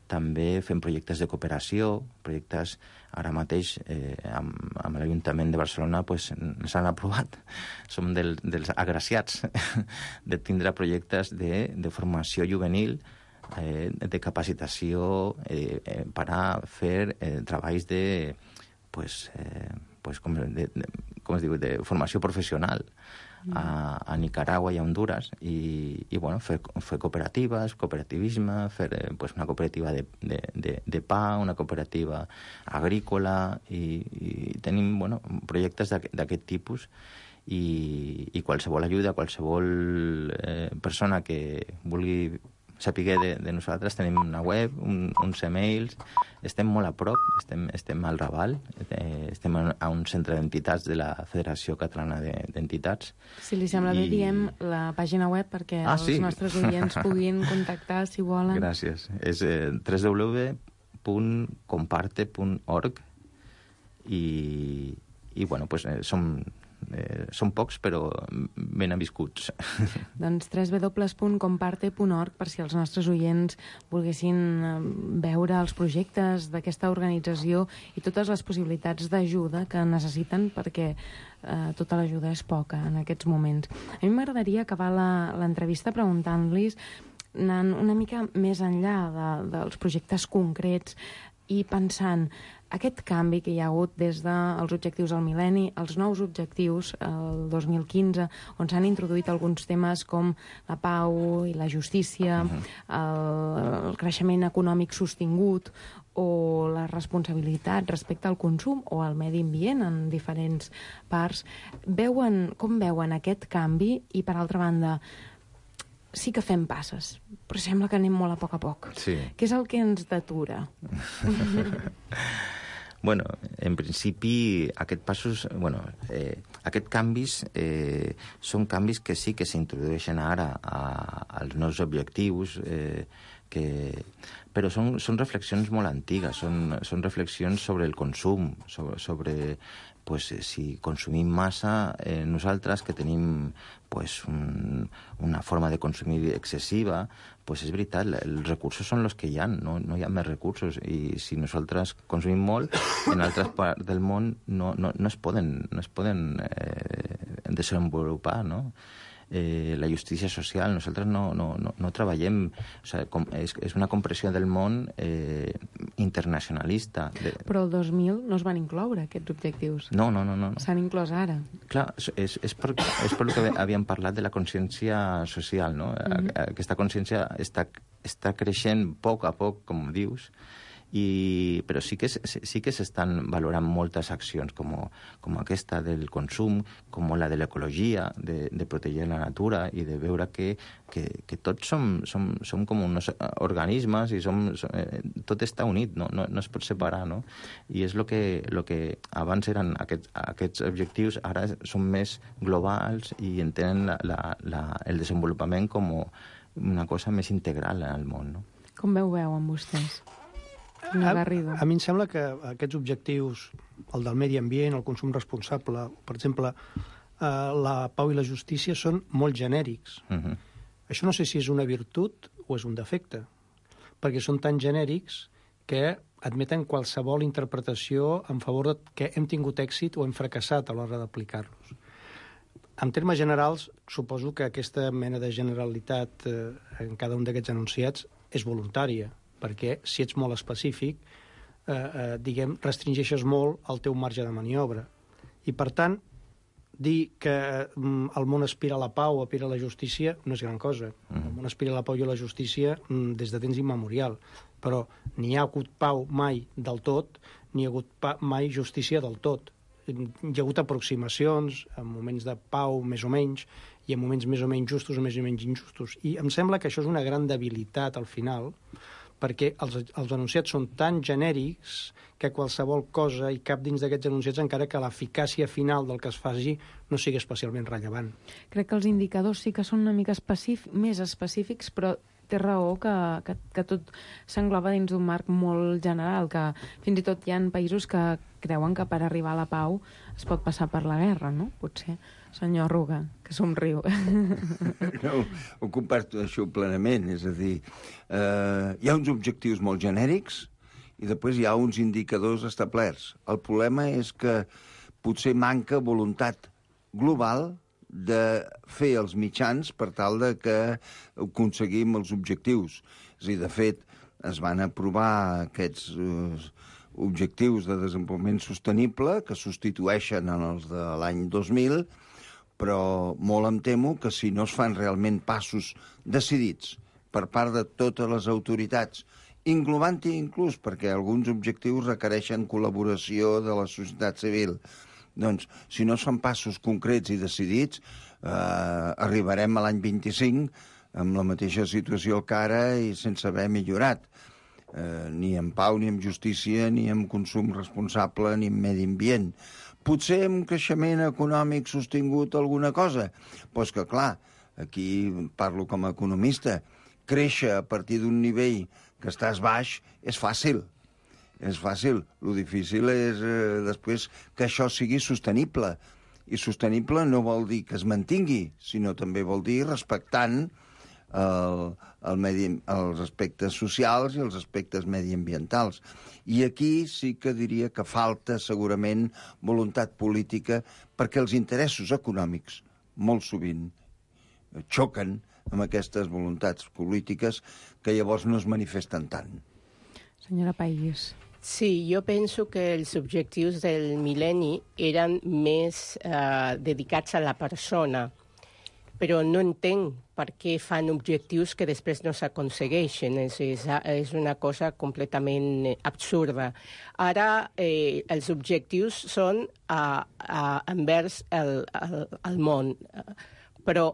també fem projectes de cooperació, projectes ara mateix eh, amb, amb l'Ajuntament de Barcelona pues, s'han aprovat. Som del, dels agraciats de tindre projectes de, de formació juvenil, eh, de capacitació eh, eh, per a fer eh, treballs de, pues, eh, pues, com, de, de, com es diu, de formació professional a, a Nicaragua i a Honduras, i, i bueno, fer, fer cooperatives, cooperativisme, fer eh, pues una cooperativa de, de, de, de pa, una cooperativa agrícola, i, i tenim bueno, projectes d'aquest tipus, i, i qualsevol ajuda, qualsevol eh, persona que vulgui saber de, de nosaltres, tenim una web, un, uns e-mails, estem molt a prop, estem, estem al Raval, eh, estem a un centre d'entitats de la Federació Catalana d'Entitats. Si li sembla bé, I... diem la pàgina web perquè ah, els sí? nostres oients puguin contactar si volen. Gràcies. És eh, w w w punt comparte punt org i, i bueno, pues, eh, som... Eh, són pocs, però ben aviscuts. Doncs w w w punt comparte punt org per si els nostres oients volguessin veure els projectes d'aquesta organització i totes les possibilitats d'ajuda que necessiten, perquè eh, tota l'ajuda és poca en aquests moments. A mi m'agradaria acabar l'entrevista preguntant-los, anant una mica més enllà de, dels projectes concrets i pensant aquest canvi que hi ha hagut des dels objectius del mil·lenni, els nous objectius, el dos mil quinze, on s'han introduït alguns temes com la pau i la justícia, el, el creixement econòmic sostingut o la responsabilitat respecte al consum o al medi ambient en diferents parts. Veuen, com veuen aquest canvi? I, per altra banda, sí que fem passes, però sembla que anem molt a poc a poc. Sí. Què és el que ens detura? Bueno, en principi, aquests passos, bueno, eh, aquests canvis eh, són canvis que sí que s'introdueixen ara a, als nous objectius, eh, que... però són, són reflexions molt antigues, són, són reflexions sobre el consum, sobre, sobre pues, si consumim massa, eh, nosaltres que tenim pues, un, una forma de consumir excessiva, pues és veritat, els recursos són els que hi ha, no, no hi ha més recursos, i si nosaltres consumim molt, en altres parts del món no, no, no es poden, no es poden eh, desenvolupar, no? Eh, la justícia social, nosaltres no, no, no, no treballem, o sigui, com, és, és una compressió del món eh, internacionalista. De... Però el dos mil no es van incloure aquests objectius. No, no, no. no. S'han inclòs ara. Clar, és, és, per, és per el que havíem parlat de la consciència social, no? Mm-hmm. Aquesta consciència està, està creixent a poc a poc, com dius, i, però sí que, sí que s'estan valorant moltes accions com, com aquesta del consum, com la de l'ecologia, de, de protegir la natura i de veure que, que, que tots som, som, som com uns organismes i som, som, eh, tot està unit, no, no, no es pot separar, no? I és el que, lo que abans eren aquests, aquests objectius, ara són més globals i entenen la, la, la, el desenvolupament com una cosa més integral al món, no? Com veu veuen vostès? A, a mi em sembla que aquests objectius, el del medi ambient, el consum responsable, per exemple, eh, la pau i la justícia, són molt genèrics. Uh-huh. Això no sé si és una virtut o és un defecte, perquè són tan genèrics que admeten qualsevol interpretació en favor de que hem tingut èxit o hem fracassat a l'hora d'aplicar-los. En termes generals, suposo que aquesta mena de generalitat eh, en cada un d'aquests enunciats és voluntària, perquè si ets molt específic, eh, eh, diguem, restringeixes molt el teu marge de maniobra. I, per tant, dir que mm, el món aspira a la pau o aspira a la justícia no és gran cosa. Mm. El món aspira a la pau i a la justícia mm, des de temps immemorial, però ni hi ha hagut pau mai del tot, ni hi ha hagut pa mai justícia del tot. Hi ha hagut aproximacions en moments de pau més o menys i en moments més o menys justos o més o menys injustos. I em sembla que això és una gran debilitat al final, perquè els, els enunciats són tan genèrics que qualsevol cosa hi cap dins d'aquests enunciats, encara que l'eficàcia final del que es faci no sigui especialment rellevant. Crec que els indicadors sí que són una mica específic, més específics, però té raó que, que, que tot s'engloba dins d'un marc molt general, que fins i tot hi ha països que creuen que per arribar a la pau es pot passar per la guerra, no? Potser. Senyor Arruga, que somriu. No, ho comparto això plenament, és a dir, eh, hi ha uns objectius molt genèrics i després hi ha uns indicadors establerts. El problema és que potser manca voluntat global de fer els mitjans per tal de que aconseguim els objectius. És a dir, de fet, es van aprovar aquests eh, objectius de desenvolupament sostenible que substitueixen en els de l'any dos mil, però molt em temo que si no es fan realment passos decidits per part de totes les autoritats, englobant-hi inclús perquè alguns objectius requereixen col·laboració de la societat civil, doncs, si no es fan passos concrets i decidits, eh, arribarem a l'any vint-i-cinc amb la mateixa situació que ara i sense haver millorat. Eh, ni en pau, ni en justícia, ni en consum responsable, ni en medi ambient. Potser amb creixement econòmic sostingut alguna cosa? Doncs que, clar, aquí parlo com a economista, créixer a partir d'un nivell que estàs baix és fàcil. És fàcil. Lo difícil és eh, després que això sigui sostenible. I sostenible no vol dir que es mantingui, sinó també vol dir respectant el, el medi, els aspectes socials i els aspectes mediambientals. I aquí sí que diria que falta segurament voluntat política perquè els interessos econòmics molt sovint xoquen amb aquestes voluntats polítiques que llavors no es manifesten tant. Senyora País. Sí, jo penso que els objectius del mil·lenni eren més eh, dedicats a la persona, però no entenc per què fan objectius que després no s'aconsegueixen. És, és, és una cosa completament absurda. Ara eh, els objectius són a, a, envers el, el, el món, però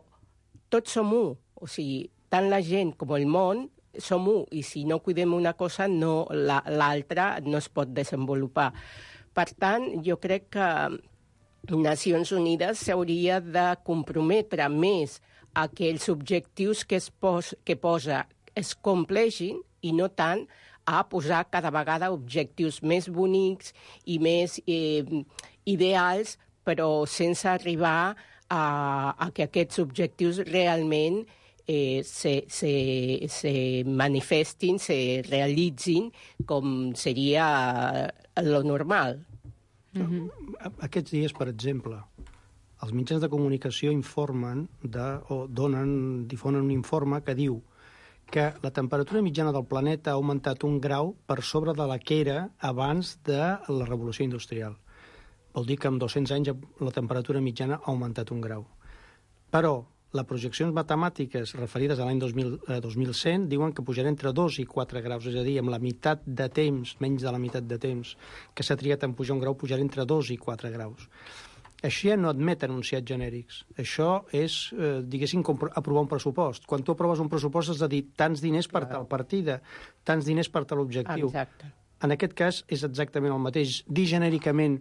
tots som u. O sigui, tant la gent com el món som u, i si no cuidem una cosa, no, la, l'altra no es pot desenvolupar. Per tant, jo crec que Nacions Unides s'hauria de comprometre més a que els objectius que, es pos, que posa es compleixin i no tant a posar cada vegada objectius més bonics i més eh, ideals, però sense arribar a, a que aquests objectius realment Eh, se, se, se manifestin, se realitzin com seria lo normal. Mm-hmm. Aquests dies, per exemple, els mitjans de comunicació informen de, o donen, difonen un informe que diu que la temperatura mitjana del planeta ha augmentat un grau per sobre de la que era abans de la revolució industrial. Vol dir que en dos-cents anys la temperatura mitjana ha augmentat un grau. Però les projeccions matemàtiques referides a l'any dos mil cent diuen que pujarà entre dos i quatre graus, és a dir, amb la meitat de temps, menys de la meitat de temps que s'ha triat en pujar un grau, pujarà entre dos i quatre graus. Això ja no admet enunciats genèrics. Això és, eh, diguéssim, com aprovar un pressupost. Quan tu aproves un pressupost has de dir tants diners per tal partida, tants diners per tal objectiu. Exacte. En aquest cas és exactament el mateix. Dir genèricament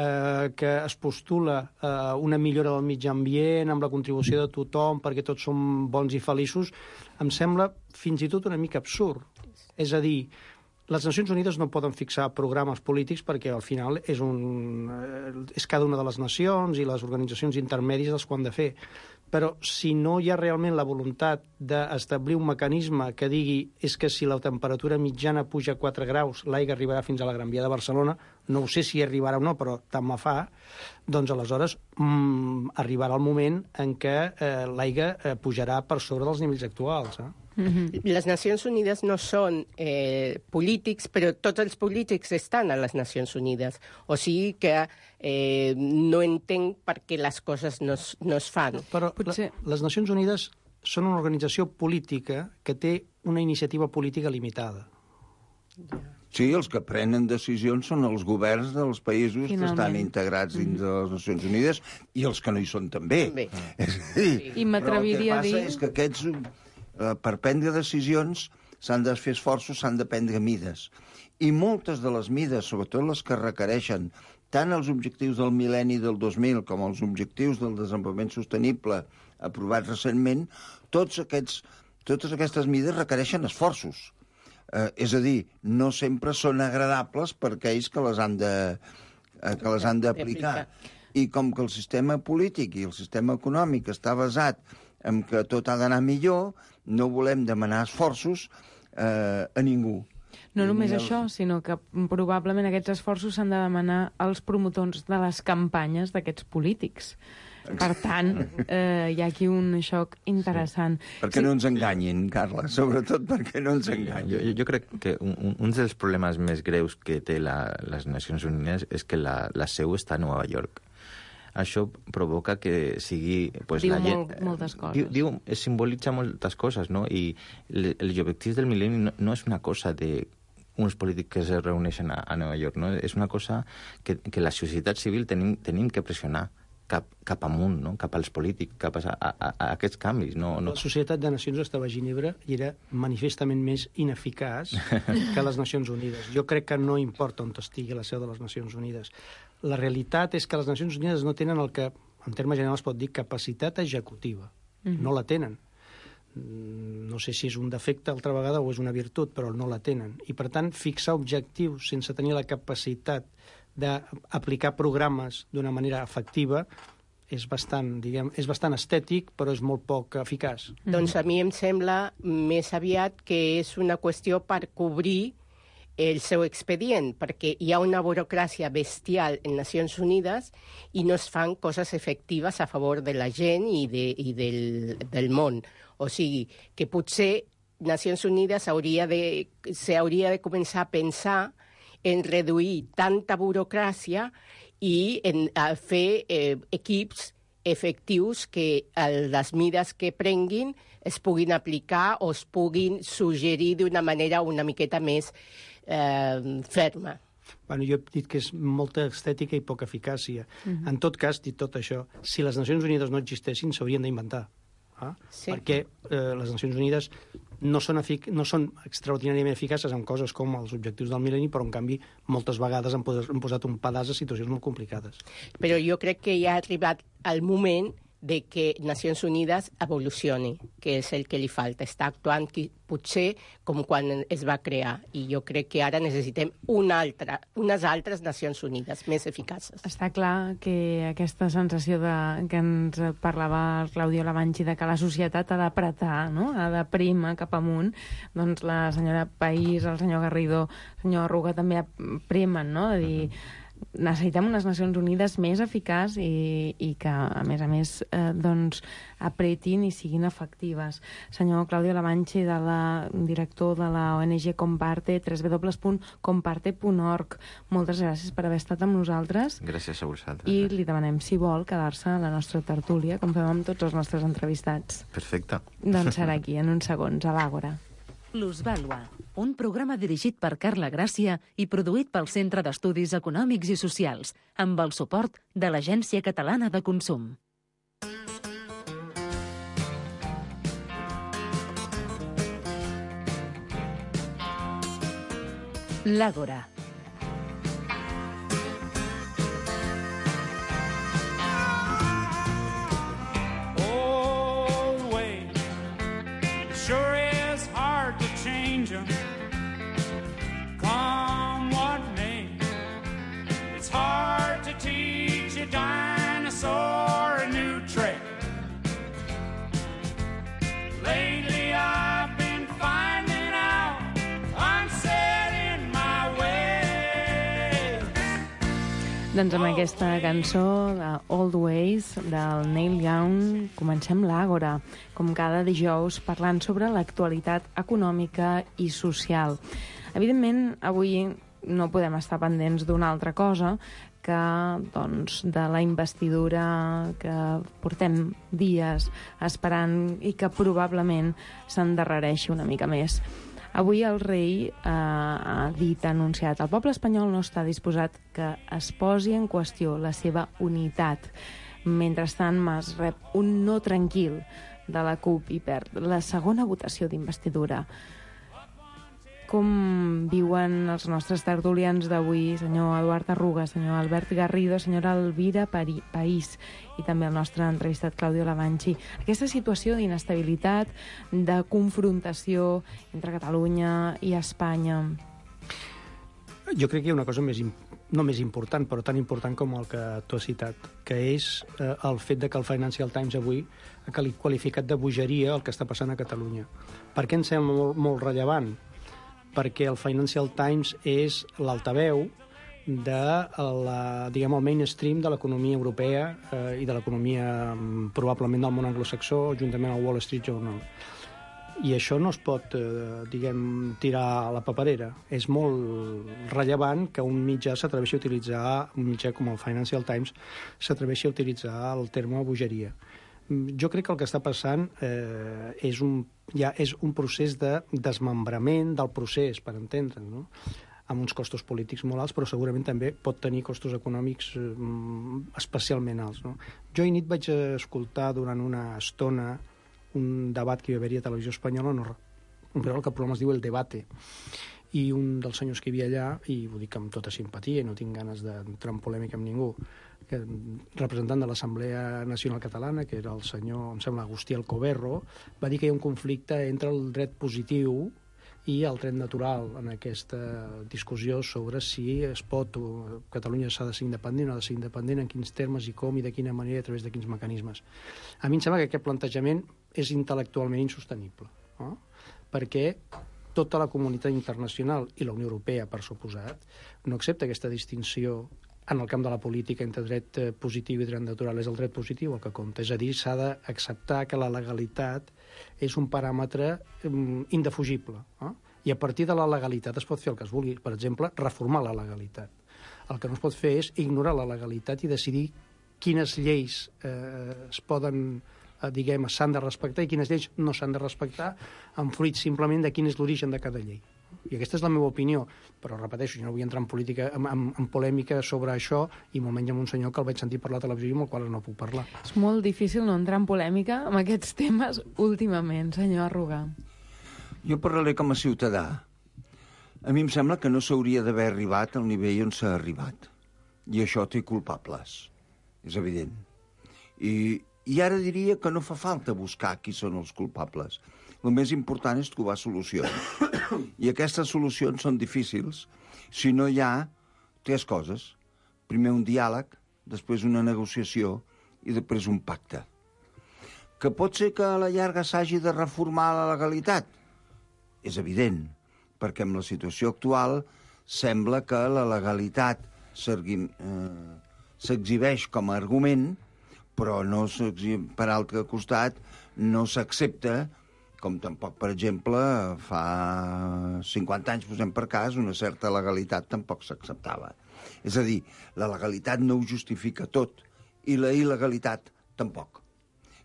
eh, que es postula eh, una millora del mitjà ambient amb la contribució de tothom perquè tots som bons i feliços, em sembla fins i tot una mica absurd. És a dir, les Nacions Unides no poden fixar programes polítics perquè al final és, un, és cada una de les nacions i les organitzacions intermèdies les que ho han de fer. Però si no hi ha realment la voluntat d'establir un mecanisme que digui és que si la temperatura mitjana puja quatre graus, l'aigua arribarà fins a la Gran Via de Barcelona, no ho sé si arribarà o no, però tant me fa, doncs aleshores mmm, arribarà el moment en què eh, l'aigua eh, pujarà per sobre dels nivells actuals. Eh? Mm-hmm. Les Nacions Unides no són eh, polítics, però tots els polítics estan a les Nacions Unides. O sigui que eh, no entenc per què les coses no es, no es fan. Però Potser... la, les Nacions Unides són una organització política que té una iniciativa política limitada. Sí, els que prenen decisions són els governs dels països Finalment. que estan integrats dins de les Nacions Unides i els que no hi són també. també. És a dir, sí. I m'atreviria a dir... Però el que passa és que aquests... per prendre decisions s'han de fer esforços, s'han de prendre mides. I moltes de les mides, sobretot les que requereixen tant els objectius del mil·lenni del dos mil com els objectius del desenvolupament sostenible aprovats recentment, tots aquests, totes aquestes mides requereixen esforços. Eh, és a dir, no sempre són agradables per aquells que les han de, eh, que les han d'aplicar. I com que el sistema polític i el sistema econòmic està basat en que tot ha d'anar millor, no volem demanar esforços eh, a ningú. No només això, sinó que probablement aquests esforços s'han de demanar als promotors de les campanyes d'aquests polítics. Per tant, eh, hi ha aquí un xoc interessant. Sí. Perquè sí. no ens enganyin, Carla, sobretot perquè no ens enganyin. Jo, jo crec que un, un dels problemes més greus que té la, les Nacions Unides és que la, la seu està a Nova York. això provoca que sigui... Pues, diu la gent, molt, moltes coses. Diu, diu, simbolitza moltes coses, no? I le, els objectius del mil·lenni no, no és una cosa de uns polítics que es reuneixen a, a Nova York, no? És una cosa que, que la societat civil tenim, tenim que pressionar cap, cap amunt, no? Cap als polítics, cap a, a, a aquests canvis. No, no... La Societat de Nacions estava a Ginebra i era manifestament més ineficaç que les Nacions Unides. Jo crec que no importa on estigui la seu de les Nacions Unides. La realitat és que les Nacions Unides no tenen el que, en termes generals, pot dir capacitat executiva. Mm-hmm. No la tenen. No sé si és un defecte altra vegada o és una virtut, però no la tenen. I, per tant, fixar objectius sense tenir la capacitat d'aplicar programes d'una manera efectiva és bastant, diguem, és bastant estètic, però és molt poc eficaç. Mm-hmm. Doncs a mi em sembla més aviat que és una qüestió per cobrir el seu expedient, perquè hi ha una burocràcia bestial en Nacions Unides i no es fan coses efectives a favor de la gent i, de, i del, del món. O sigui, que potser Nacions Unides hauria de, s'hauria de començar a pensar en reduir tanta burocràcia i en a fer eh, equips efectius que a les mides que prenguin es puguin aplicar o es puguin suggerir d'una manera una miqueta més eh, ferma. Bueno, jo he dit que és molta estètica i poca eficàcia. Uh-huh. En tot cas, dit tot això, si les Nacions Unides no existessin, s'haurien d'inventar. Ah? Sí. Perquè eh, les Nacions Unides no són, efic no són extraordinàriament eficaces en coses com els objectius del mil·lenni, però, en canvi, moltes vegades han, pos han posat un pedaç a situacions molt complicades. Però jo crec que ja ha arribat el moment de que Nacions Unides evolucioni, que és el que li falta. Està actuant potser com quan es va crear. I jo crec que ara necessitem una altra, unes altres Nacions Unides més eficaces. Està clar que aquesta sensació de, que ens parlava el Claudio Lavanchi de que la societat ha d'apretar, no? Ha de prima cap amunt, doncs la senyora País, el senyor Garrido, el senyor Arruga també premen, no? De dir, necessitem unes Nacions Unides més eficaç i, i que, a més a més, eh, doncs, apretin i siguin efectives. Senyor Claudio Lavanchi, de la, director de la O N G Comparte, w w w punt comparte punt org. Moltes gràcies per haver estat amb nosaltres. Gràcies a vosaltres. I li demanem, si vol, quedar-se a la nostra tertúlia, com fem amb tots els nostres entrevistats. Perfecte. Doncs serà aquí, en uns segons, a l'Àgora. Plusvàlua, un programa dirigit per Carla Gràcia i produït pel Centre d'Estudis Econòmics i Socials, amb el suport de l'Agència Catalana de Consum. L'Àgora. Come what may, it's hard to teach a dinosaur a new trick. Lately I've been finding out I'm set in my way. Doncs amb aquesta cançó de Old Ways del Neil Young comencem l'Àgora, com cada dijous parlant sobre l'actualitat econòmica i social. Evidentment, avui no podem estar pendents d'una altra cosa que doncs, de la investidura que portem dies esperant i que probablement s'endarrereixi una mica més. Avui el rei eh, ha dit, ha anunciat, el poble espanyol no està disposat que es posi en qüestió la seva unitat. Mentrestant, Mas rep un no tranquil de la CUP i perd la segona votació d'investidura. Com viuen els nostres tertulians d'avui, senyor Eduard Arruga, senyor Albert Garrido, senyora Elvira País i també el nostre entrevistat Claudio Lavanchi, aquesta situació d'inestabilitat, de confrontació entre Catalunya i Espanya? Jo crec que hi ha una cosa més, no més important, però tan important com el que tu has citat, que és eh, el fet de que el Financial Times avui ha qualificat de bogeria el que està passant a Catalunya. Per què ens sembla molt, molt rellevant? Perquè el Financial Times és l'altaveu de la, diguem, el mainstream de l'economia europea eh, i de l'economia probablement del món anglosaxó, juntament al Wall Street Journal. I això no es pot, eh, diguem, tirar a la paperera. És molt rellevant que un mitjà s'atreveixi a utilitzar, un mitjà com el Financial Times, s'atreveixi a utilitzar el terme bogeria. Jo crec que el que està passant eh, és, un, ja és un procés de desmembrament del procés, per entendre'ns, no? Amb uns costos polítics molt alts, però segurament també pot tenir costos econòmics eh, especialment alts, no? Jo ahir nit vaig escoltar durant una estona un debat que hi va haver a Televisió Espanyola, no, un programa que el programa es diu El Debate, i un dels senyors que hi havia allà, i ho dic amb tota simpatia i no tinc ganes d'entrar en polèmica amb ningú, que, representant de l'Assemblea Nacional Catalana, que era el senyor, em sembla, Agustí Alcoberro, va dir que hi ha un conflicte entre el dret positiu i el dret natural en aquesta discussió sobre si es pot, o Catalunya s'ha de ser independent o ha de ser independent, en quins termes i com i de quina manera i a través de quins mecanismes. A mi em sembla que aquest plantejament és intel·lectualment insostenible, no? Perquè tota la comunitat internacional i la Unió Europea, per suposat, no accepta aquesta distinció en el camp de la política entre dret positiu i dret natural. És el dret positiu el que compta. És a dir, s'ha d'acceptar que la legalitat és un paràmetre um, indefugible. No? I a partir de la legalitat es pot fer el que es vulgui. Per exemple, reformar la legalitat. El que no es pot fer és ignorar la legalitat i decidir quines lleis eh, es poden... diguem, s'han de respectar i quines lleis no s'han de respectar en fruit simplement de quin és l'origen de cada llei. I aquesta és la meva opinió, però repeteixo, jo no vull entrar en política, en, en, en polèmica sobre això, i molt menys amb un senyor que el vaig sentir parlar a la televisió i amb el qual no puc parlar. És molt difícil no entrar en polèmica amb aquests temes últimament, senyor Arruga. Jo parlaré com a ciutadà. A mi em sembla que no s'hauria d'haver arribat al nivell on s'ha arribat. I això té culpables. És evident. I I ara diria que no fa falta buscar qui són els culpables. El més important és trobar solucions. I aquestes solucions són difícils si no hi ha tres coses. Primer un diàleg, després una negociació i després un pacte. Que pot ser que a la llarga s'hagi de reformar la legalitat? És evident, perquè amb la situació actual sembla que la legalitat s'exhibeix com a argument, però no per altre costat no s'accepta, com tampoc, per exemple, fa cinquanta anys, posem per cas, una certa legalitat tampoc s'acceptava. És a dir, la legalitat no ho justifica tot, i la il·legalitat tampoc.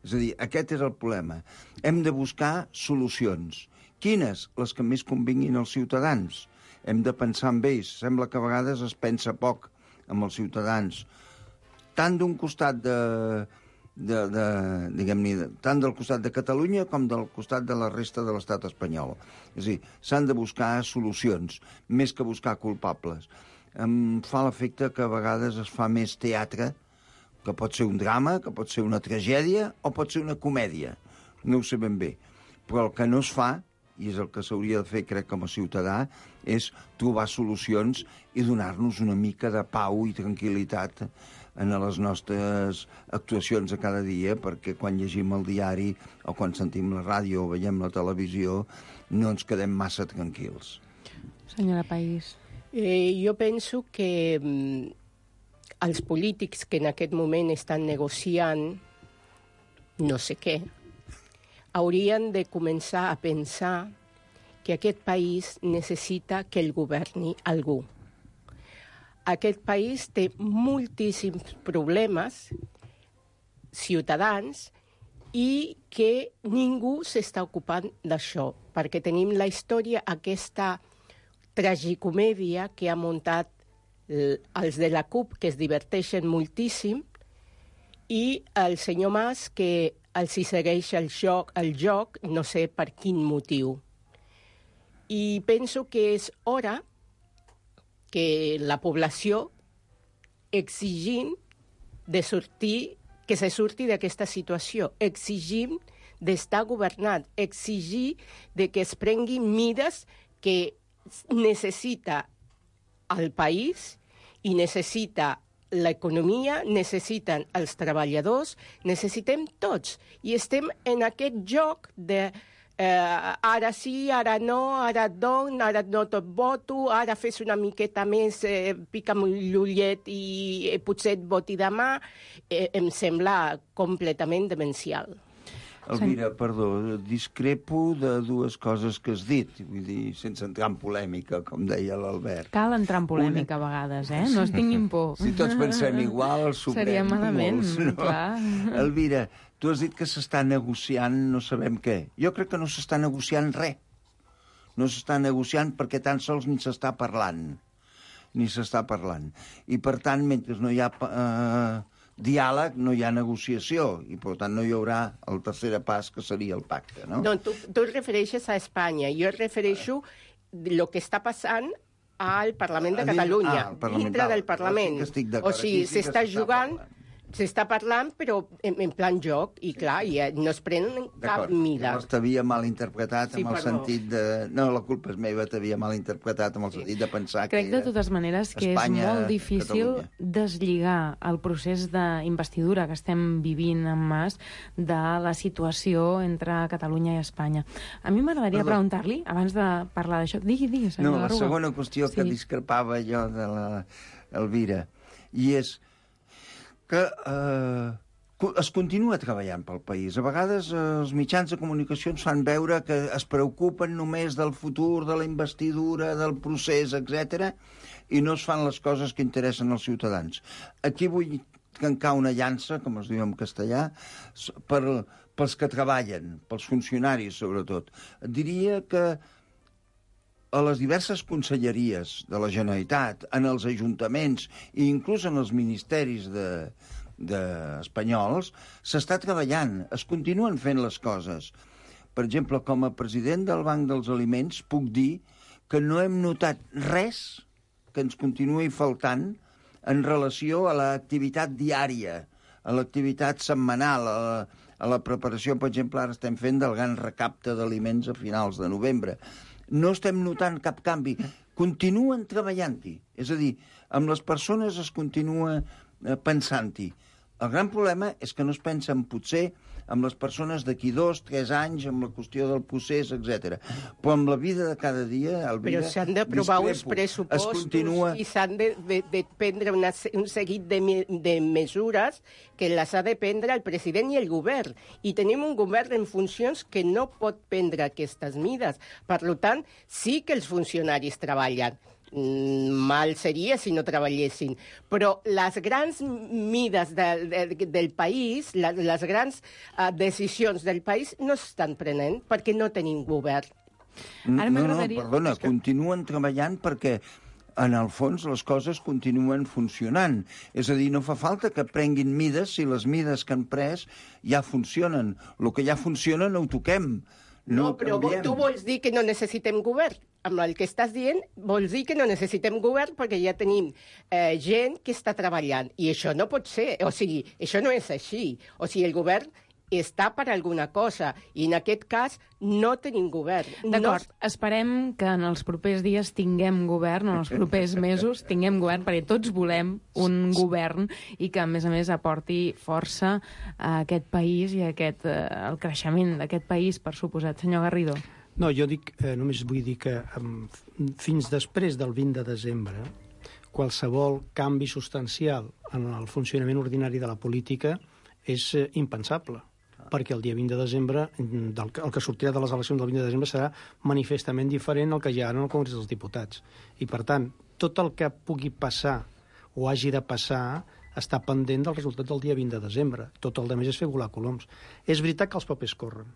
És a dir, aquest és el problema. Hem de buscar solucions. Quines? Les que més convinguin als ciutadans. Hem de pensar en ells. Sembla que a vegades es pensa poc amb els ciutadans. Tant d'un costat de, de, de diguem-ne, tant del costat de Catalunya com del costat de la resta de l'estat espanyol. És a dir, s'han de buscar solucions, més que buscar culpables. Em fa l'efecte que a vegades es fa més teatre, que pot ser un drama, que pot ser una tragèdia o pot ser una comèdia. No ho sé ben bé. Però el que no es fa, i és el que s'hauria de fer, crec, com a ciutadà, és trobar solucions i donar-nos una mica de pau i tranquil·litat en les nostres actuacions de cada dia, perquè quan llegim el diari o quan sentim la ràdio o veiem la televisió no ens quedem massa tranquils. Senyora País. Eh, jo penso que mm, els polítics que en aquest moment estan negociant no sé què, haurien de començar a pensar que aquest país necessita que el governi algú. Aquest país té moltíssims problemes ciutadans i que ningú s'està ocupant d'això, perquè tenim la història, aquesta tragicomèdia que ha muntat els de la CUP, que es diverteixen moltíssim, i el senyor Mas, que els hi segueix el joc, el joc, no sé per quin motiu. I penso que és hora que la població exigim de sortir, que se surti d'aquesta situació, exigim d'estar governat, exigir de que es prenguin mides que necessita el país i necessita l'economia, necessiten els treballadors, necessitem tots. I estem en aquest joc de eh, ara sí, ara no, ara don, ara no tot voto, ara fes una miqueta més, eh, pica'm l'ullet i eh, potser et voti demà. Eh, em sembla completament demencial. Elvira, perdó, discrepo de dues coses que has dit, vull dir, sense entrar en polèmica, com deia l'Albert. Cal entrar en polèmica Una... a vegades, eh? No es tinguin por. Si tots pensem igual, sobrem Seria malament, molts, no? clar. Elvira, tu has dit que s'està negociant no sabem què. Jo crec que no s'està negociant res. No s'està negociant perquè tan sols ni s'està parlant. Ni s'està parlant. I, per tant, mentre no hi ha... Eh, diàleg, no hi ha negociació, i per tant no hi haurà el tercer pas, que seria el pacte, no? No, tu, tu et refereixes a Espanya. Jo et refereixo el que està passant al Parlament de Catalunya, ah, dintre del Parlament. Sí o sigui, sí s'està jugant... S'està parlant, però en, en plan joc, i clar, i no es prenen cap mida. Llavors t'havia malinterpretat sí, amb el perdó. sentit de... No, la culpa és meva, t'havia malinterpretat amb el sentit de pensar Crec que de totes maneres que Espanya, és molt difícil Catalunya. deslligar el procés d'investidura que estem vivint en Mas de la situació entre Catalunya i Espanya. A mi m'agradaria preguntar-li, abans de parlar d'això... Digui, digui, senyor No, la Garruga. segona qüestió sí. que discrepava jo de l'Elvira, i és que eh, es continua treballant pel país. A vegades eh, els mitjans de comunicació ens fan veure que es preocupen només del futur, de la investidura, del procés, etcètera, i no es fan les coses que interessen als ciutadans. Aquí vull trencar una llança, com es diu en castellà, per, pels que treballen, pels funcionaris, sobretot. Diria que a les diverses conselleries de la Generalitat, en els ajuntaments i inclús en els ministeris de, de espanyols, s'està treballant, es continuen fent les coses. Per exemple, com a president del Banc dels Aliments puc dir que no hem notat res que ens continuï faltant en relació a l'activitat diària, a l'activitat setmanal, a la, a la preparació, per exemple, ara estem fent del gran recapte d'aliments a finals de novembre. No estem notant cap canvi. Continuen treballant-hi. És a dir, amb les persones es continua pensant-hi. El gran problema és que no es pensen potser amb les persones d'aquí dos, tres anys, amb la qüestió del procés, etcètera. Però amb la vida de cada dia... Però s'han d'aprovar uns pressupostos continua... i s'han de, de, de prendre una, un seguit de, de mesures que les ha de prendre el president i el govern. I tenim un govern en funcions que no pot prendre aquestes mides. Per tant, sí que els funcionaris treballen. Mal seria si no treballessin. Però les grans mides de, de, del país, les, les grans uh, decisions del país no s'estan prenent perquè no tenim govern. Ara no, no, perdona, que... continuen treballant perquè en el fons les coses continuen funcionant. És a dir, no fa falta que prenguin mides si les mides que han pres ja funcionen. El que ja funciona no ho toquem. No, no però canviem. Tu vols dir que no necessitem govern? Amb el que estàs dient, vols dir que no necessitem govern perquè ja tenim eh, gent que està treballant. I això no pot ser. O sigui, això no és així. O sigui, el govern està per alguna cosa. I en aquest cas no tenim govern. D'acord, no... esperem que en els propers dies tinguem govern, en els propers mesos tinguem govern, perquè tots volem un govern i que, a més a més, aporti força a aquest país i a aquest, eh, el creixement d'aquest país, per suposat. Senyor Garrido. No, jo dic, eh, només vull dir que eh, fins després del vint de desembre, qualsevol canvi substancial en el funcionament ordinari de la política és eh, impensable, perquè el dia vint de desembre, del, el que sortirà de les eleccions del vint de desembre serà manifestament diferent al que hi ha en el Congrés dels Diputats. I, per tant, tot el que pugui passar o hagi de passar està pendent del resultat del dia vint de desembre. Tot el demés és fer volar coloms. És veritat que els papers corren.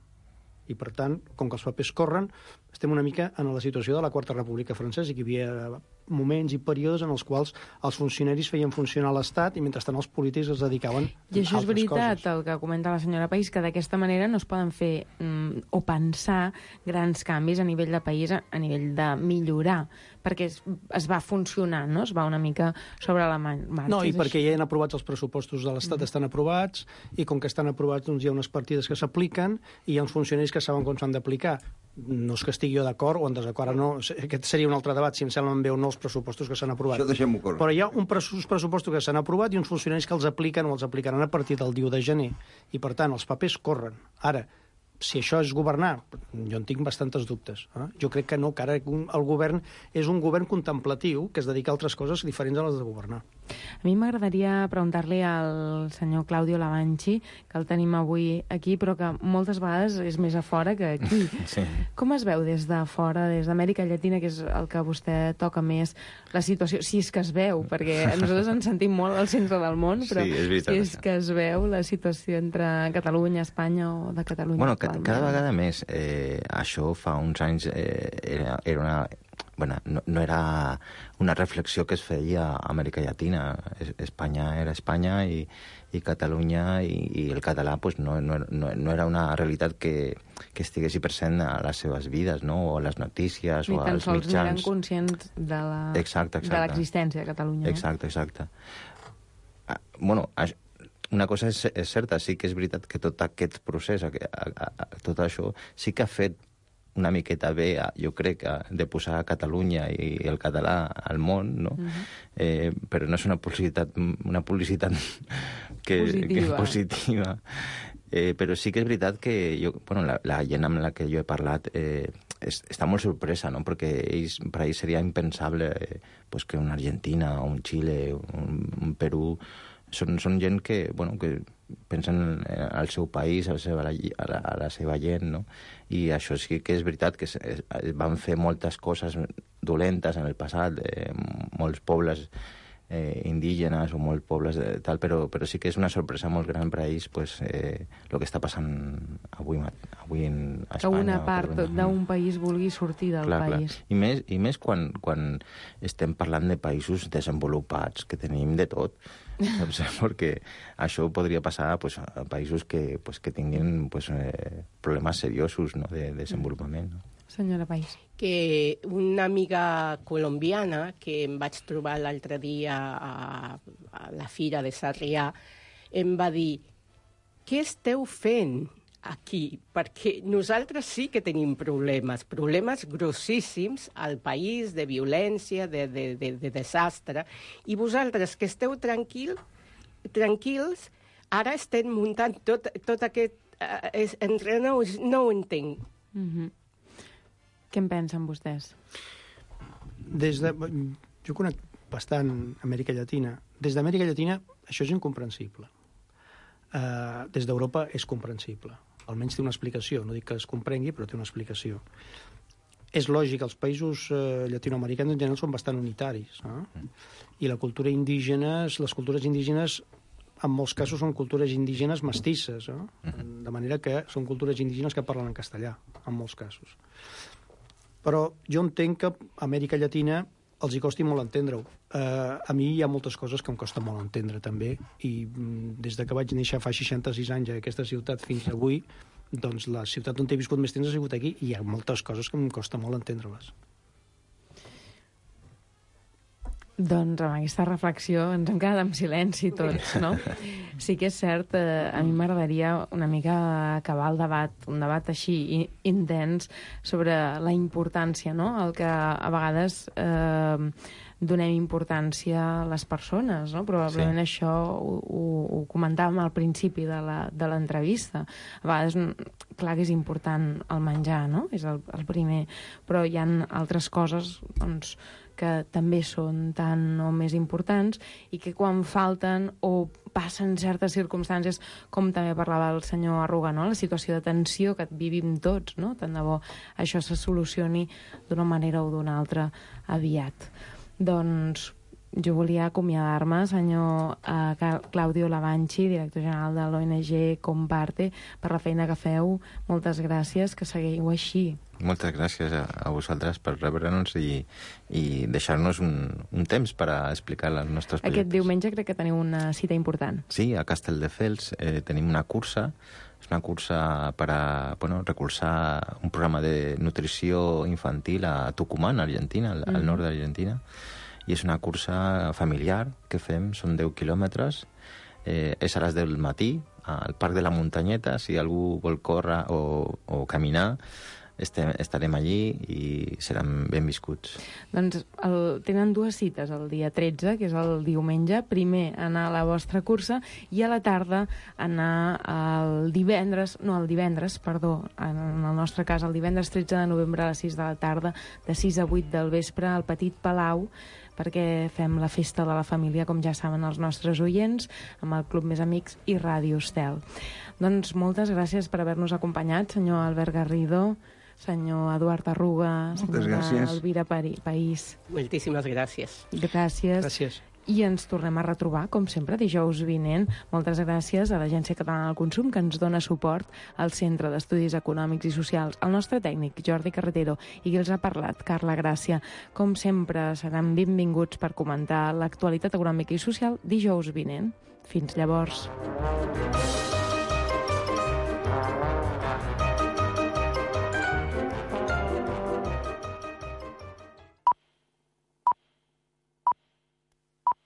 I, per tant, com que els papers corren, estem una mica en la situació de la Quarta República Francesa, i que hi havia moments i períodes en els quals els funcionaris feien funcionar l'Estat i, mentrestant, els polítics es dedicaven a altres coses. I això és veritat, el que comenta la senyora País, que d'aquesta manera no es poden fer mm, o pensar grans canvis a nivell de país, a nivell de millorar, perquè es, es va funcionar, no? Es va una mica sobre la marxa. No, i perquè ja han aprovats els pressupostos de l'Estat, mm. estan aprovats, i com que estan aprovats, doncs hi ha unes partides que s'apliquen i hi ha uns funcionaris que saben com s'han d'aplicar. No és que estigui jo d'acord o en desacord, no. Aquest seria un altre debat, si em semblen bé o no els pressupostos que s'han aprovat. Això deixem-ho córrer. Però hi ha un pressupostos que s'han aprovat i uns funcionaris que els apliquen o els aplicaran a partir del dia u de gener. I, per tant, els papers corren. Ara, si això és governar, jo en tinc bastantes dubtes. Eh? Jo crec que no, que ara el govern és un govern contemplatiu que es dedica a altres coses diferents a les de governar. A mi m'agradaria preguntar-li al senyor Claudio Lavanchi, que el tenim avui aquí, però que moltes vegades és més a fora que aquí. Sí. Com es veu des de fora, des d'Amèrica Llatina, que és el que vostè toca més, la situació, si és que es veu, perquè nosaltres ens sentim molt al centre del món, però sí, és veritat, si és que es veu la situació entre Catalunya, Espanya o de Catalunya. Bueno, ca cada vegada més. Eh, això fa uns anys eh, era, era una... Bueno, no, no era una reflexió que es feia a Amèrica Llatina. Es, Espanya era Espanya i, i Catalunya i, i el català pues, no, no, no, no era una realitat que, que estigués present a les seves vides, no? O a les notícies ni o als mitjans. Ni tan sols eren conscients de la, exacte, exacte. de l'existència de Catalunya. Exacte, exacte. Ah, bueno, una cosa és, és certa, sí que és veritat que tot aquest procés, a, a, a, tot això, sí que ha fet una miqueta bé, jo crec, de posar Catalunya i el català al món, no? Uh-huh. eh, però no és una publicitat, una publicitat que, positiva. Que és positiva. Eh, però sí que és veritat que jo, bueno, la, la gent amb la que jo he parlat eh, es, està molt sorpresa, no? Perquè ells, per a ells seria impensable eh, pues que una Argentina, un Xile, un, un Perú... Són, són gent que, bueno, que pensen al seu país, a la seva, a la, a la seva gent, no? I això sí que és veritat, que es, van fer moltes coses dolentes en el passat, eh, molts pobles eh, indígenes o molts pobles de, tal, però, però sí que és una sorpresa molt gran per a ells pues, eh, el que està passant avui, avui en Espanya. Que una part d'un país vulgui sortir del clar, país. Clar. I més, i més quan, quan estem parlant de països desenvolupats, que tenim de tot, saps? Perquè això podria passar pues, a països que, pues, que tinguin pues, eh, problemes seriosos, no? De, de desenvolupament. No? Senyora País. Que una amiga colombiana que em vaig trobar l'altre dia a, a la fira de Sarrià em va dir: què esteu fent aquí? Perquè nosaltres sí que tenim problemes, problemes grossíssims al país, de violència, de, de, de, de desastre, i vosaltres que esteu tranquil, tranquils, ara estem muntant tot, tot aquest... Eh, entre no, no ho entenc. Mm-hmm. Què en pensen vostès? Des de... Jo conec bastant Amèrica Llatina. Des d'Amèrica Llatina això és incomprensible. Uh, des d'Europa és comprensible. Almenys té una explicació. No dic que es comprengui, però té una explicació. És lògic, els països uh, llatinoamericans en general són bastant unitaris. No? I la cultura indígena, les cultures indígenes, en molts casos són cultures indígenes mestisses. No? De manera que són cultures indígenes que parlen en castellà, en molts casos. Però jo entenc que a Amèrica Llatina els hi costi molt entendre-ho. Uh, a mi hi ha moltes coses que em costa molt entendre, també, i mm, des de que vaig néixer fa seixanta-sis anys a aquesta ciutat fins avui, doncs la ciutat on he viscut més temps ha sigut aquí, i hi ha moltes coses que em costa molt entendre-les. Doncs amb aquesta reflexió ens hem quedat en silenci tots, no? Sí que és cert, eh, a mi m'agradaria una mica acabar el debat, un debat així intens sobre la importància, no? El que a vegades eh, donem importància a les persones, no? Probablement sí. Això ho, ho, ho comentàvem al principi de l'entrevista. A vegades, clar que és important el menjar, no? És el, el primer, però hi ha altres coses, doncs, que també són tan o més importants i que quan falten o passen certes circumstàncies, com també parlava el senyor Arruga, no? La situació de tensió que vivim tots, no? Tant de bo això se solucioni d'una manera o d'una altra aviat. Doncs jo volia acomiadar-me, senyor eh, Claudio Lavanchi, director general de l'O N G Comparte, per la feina que feu. Moltes gràcies, que seguiu així. Moltes gràcies a, a vosaltres per rebre'ns i, i deixar-nos un, un temps per a explicar els nostres projectes. Aquest diumenge crec que teniu una cita important. Sí, a Castelldefels eh, tenim una cursa. És una cursa per a bueno, recolzar un programa de nutrició infantil a Tucumán, Argentina, al, mm. al nord d'Argentina. I és una cursa familiar que fem, són deu quilòmetres. Eh, és a les deu del matí, al Parc de la Muntanyeta. Si algú vol córrer o, o caminar, estem, estarem allí i seran benviscuts. Doncs el, tenen dues cites el dia tretze, que és el diumenge. Primer anar a la vostra cursa i a la tarda anar el divendres, no, el divendres, perdó, en el nostre cas, el divendres tretze de novembre a les sis de la tarda, de sis a vuit del vespre, al Petit Palau, perquè fem la festa de la família, com ja saben els nostres oients, amb el Club Més Amics i Ràdio Estel. Doncs moltes gràcies per haver-nos acompanyat, senyor Albert Garrido, senyor Eduard Arruga, senyora Elvira País. Moltíssimes gràcies. Gràcies. Gràcies. I ens tornem a retrobar, com sempre, dijous vinent. Moltes gràcies a l'Agència Catalana del Consum, que ens dona suport, al Centre d'Estudis Econòmics i Socials, al nostre tècnic, Jordi Carretero, i qui els ha parlat, Carla Gràcia. Com sempre, seran benvinguts per comentar l'actualitat econòmica i social dijous vinent. Fins llavors.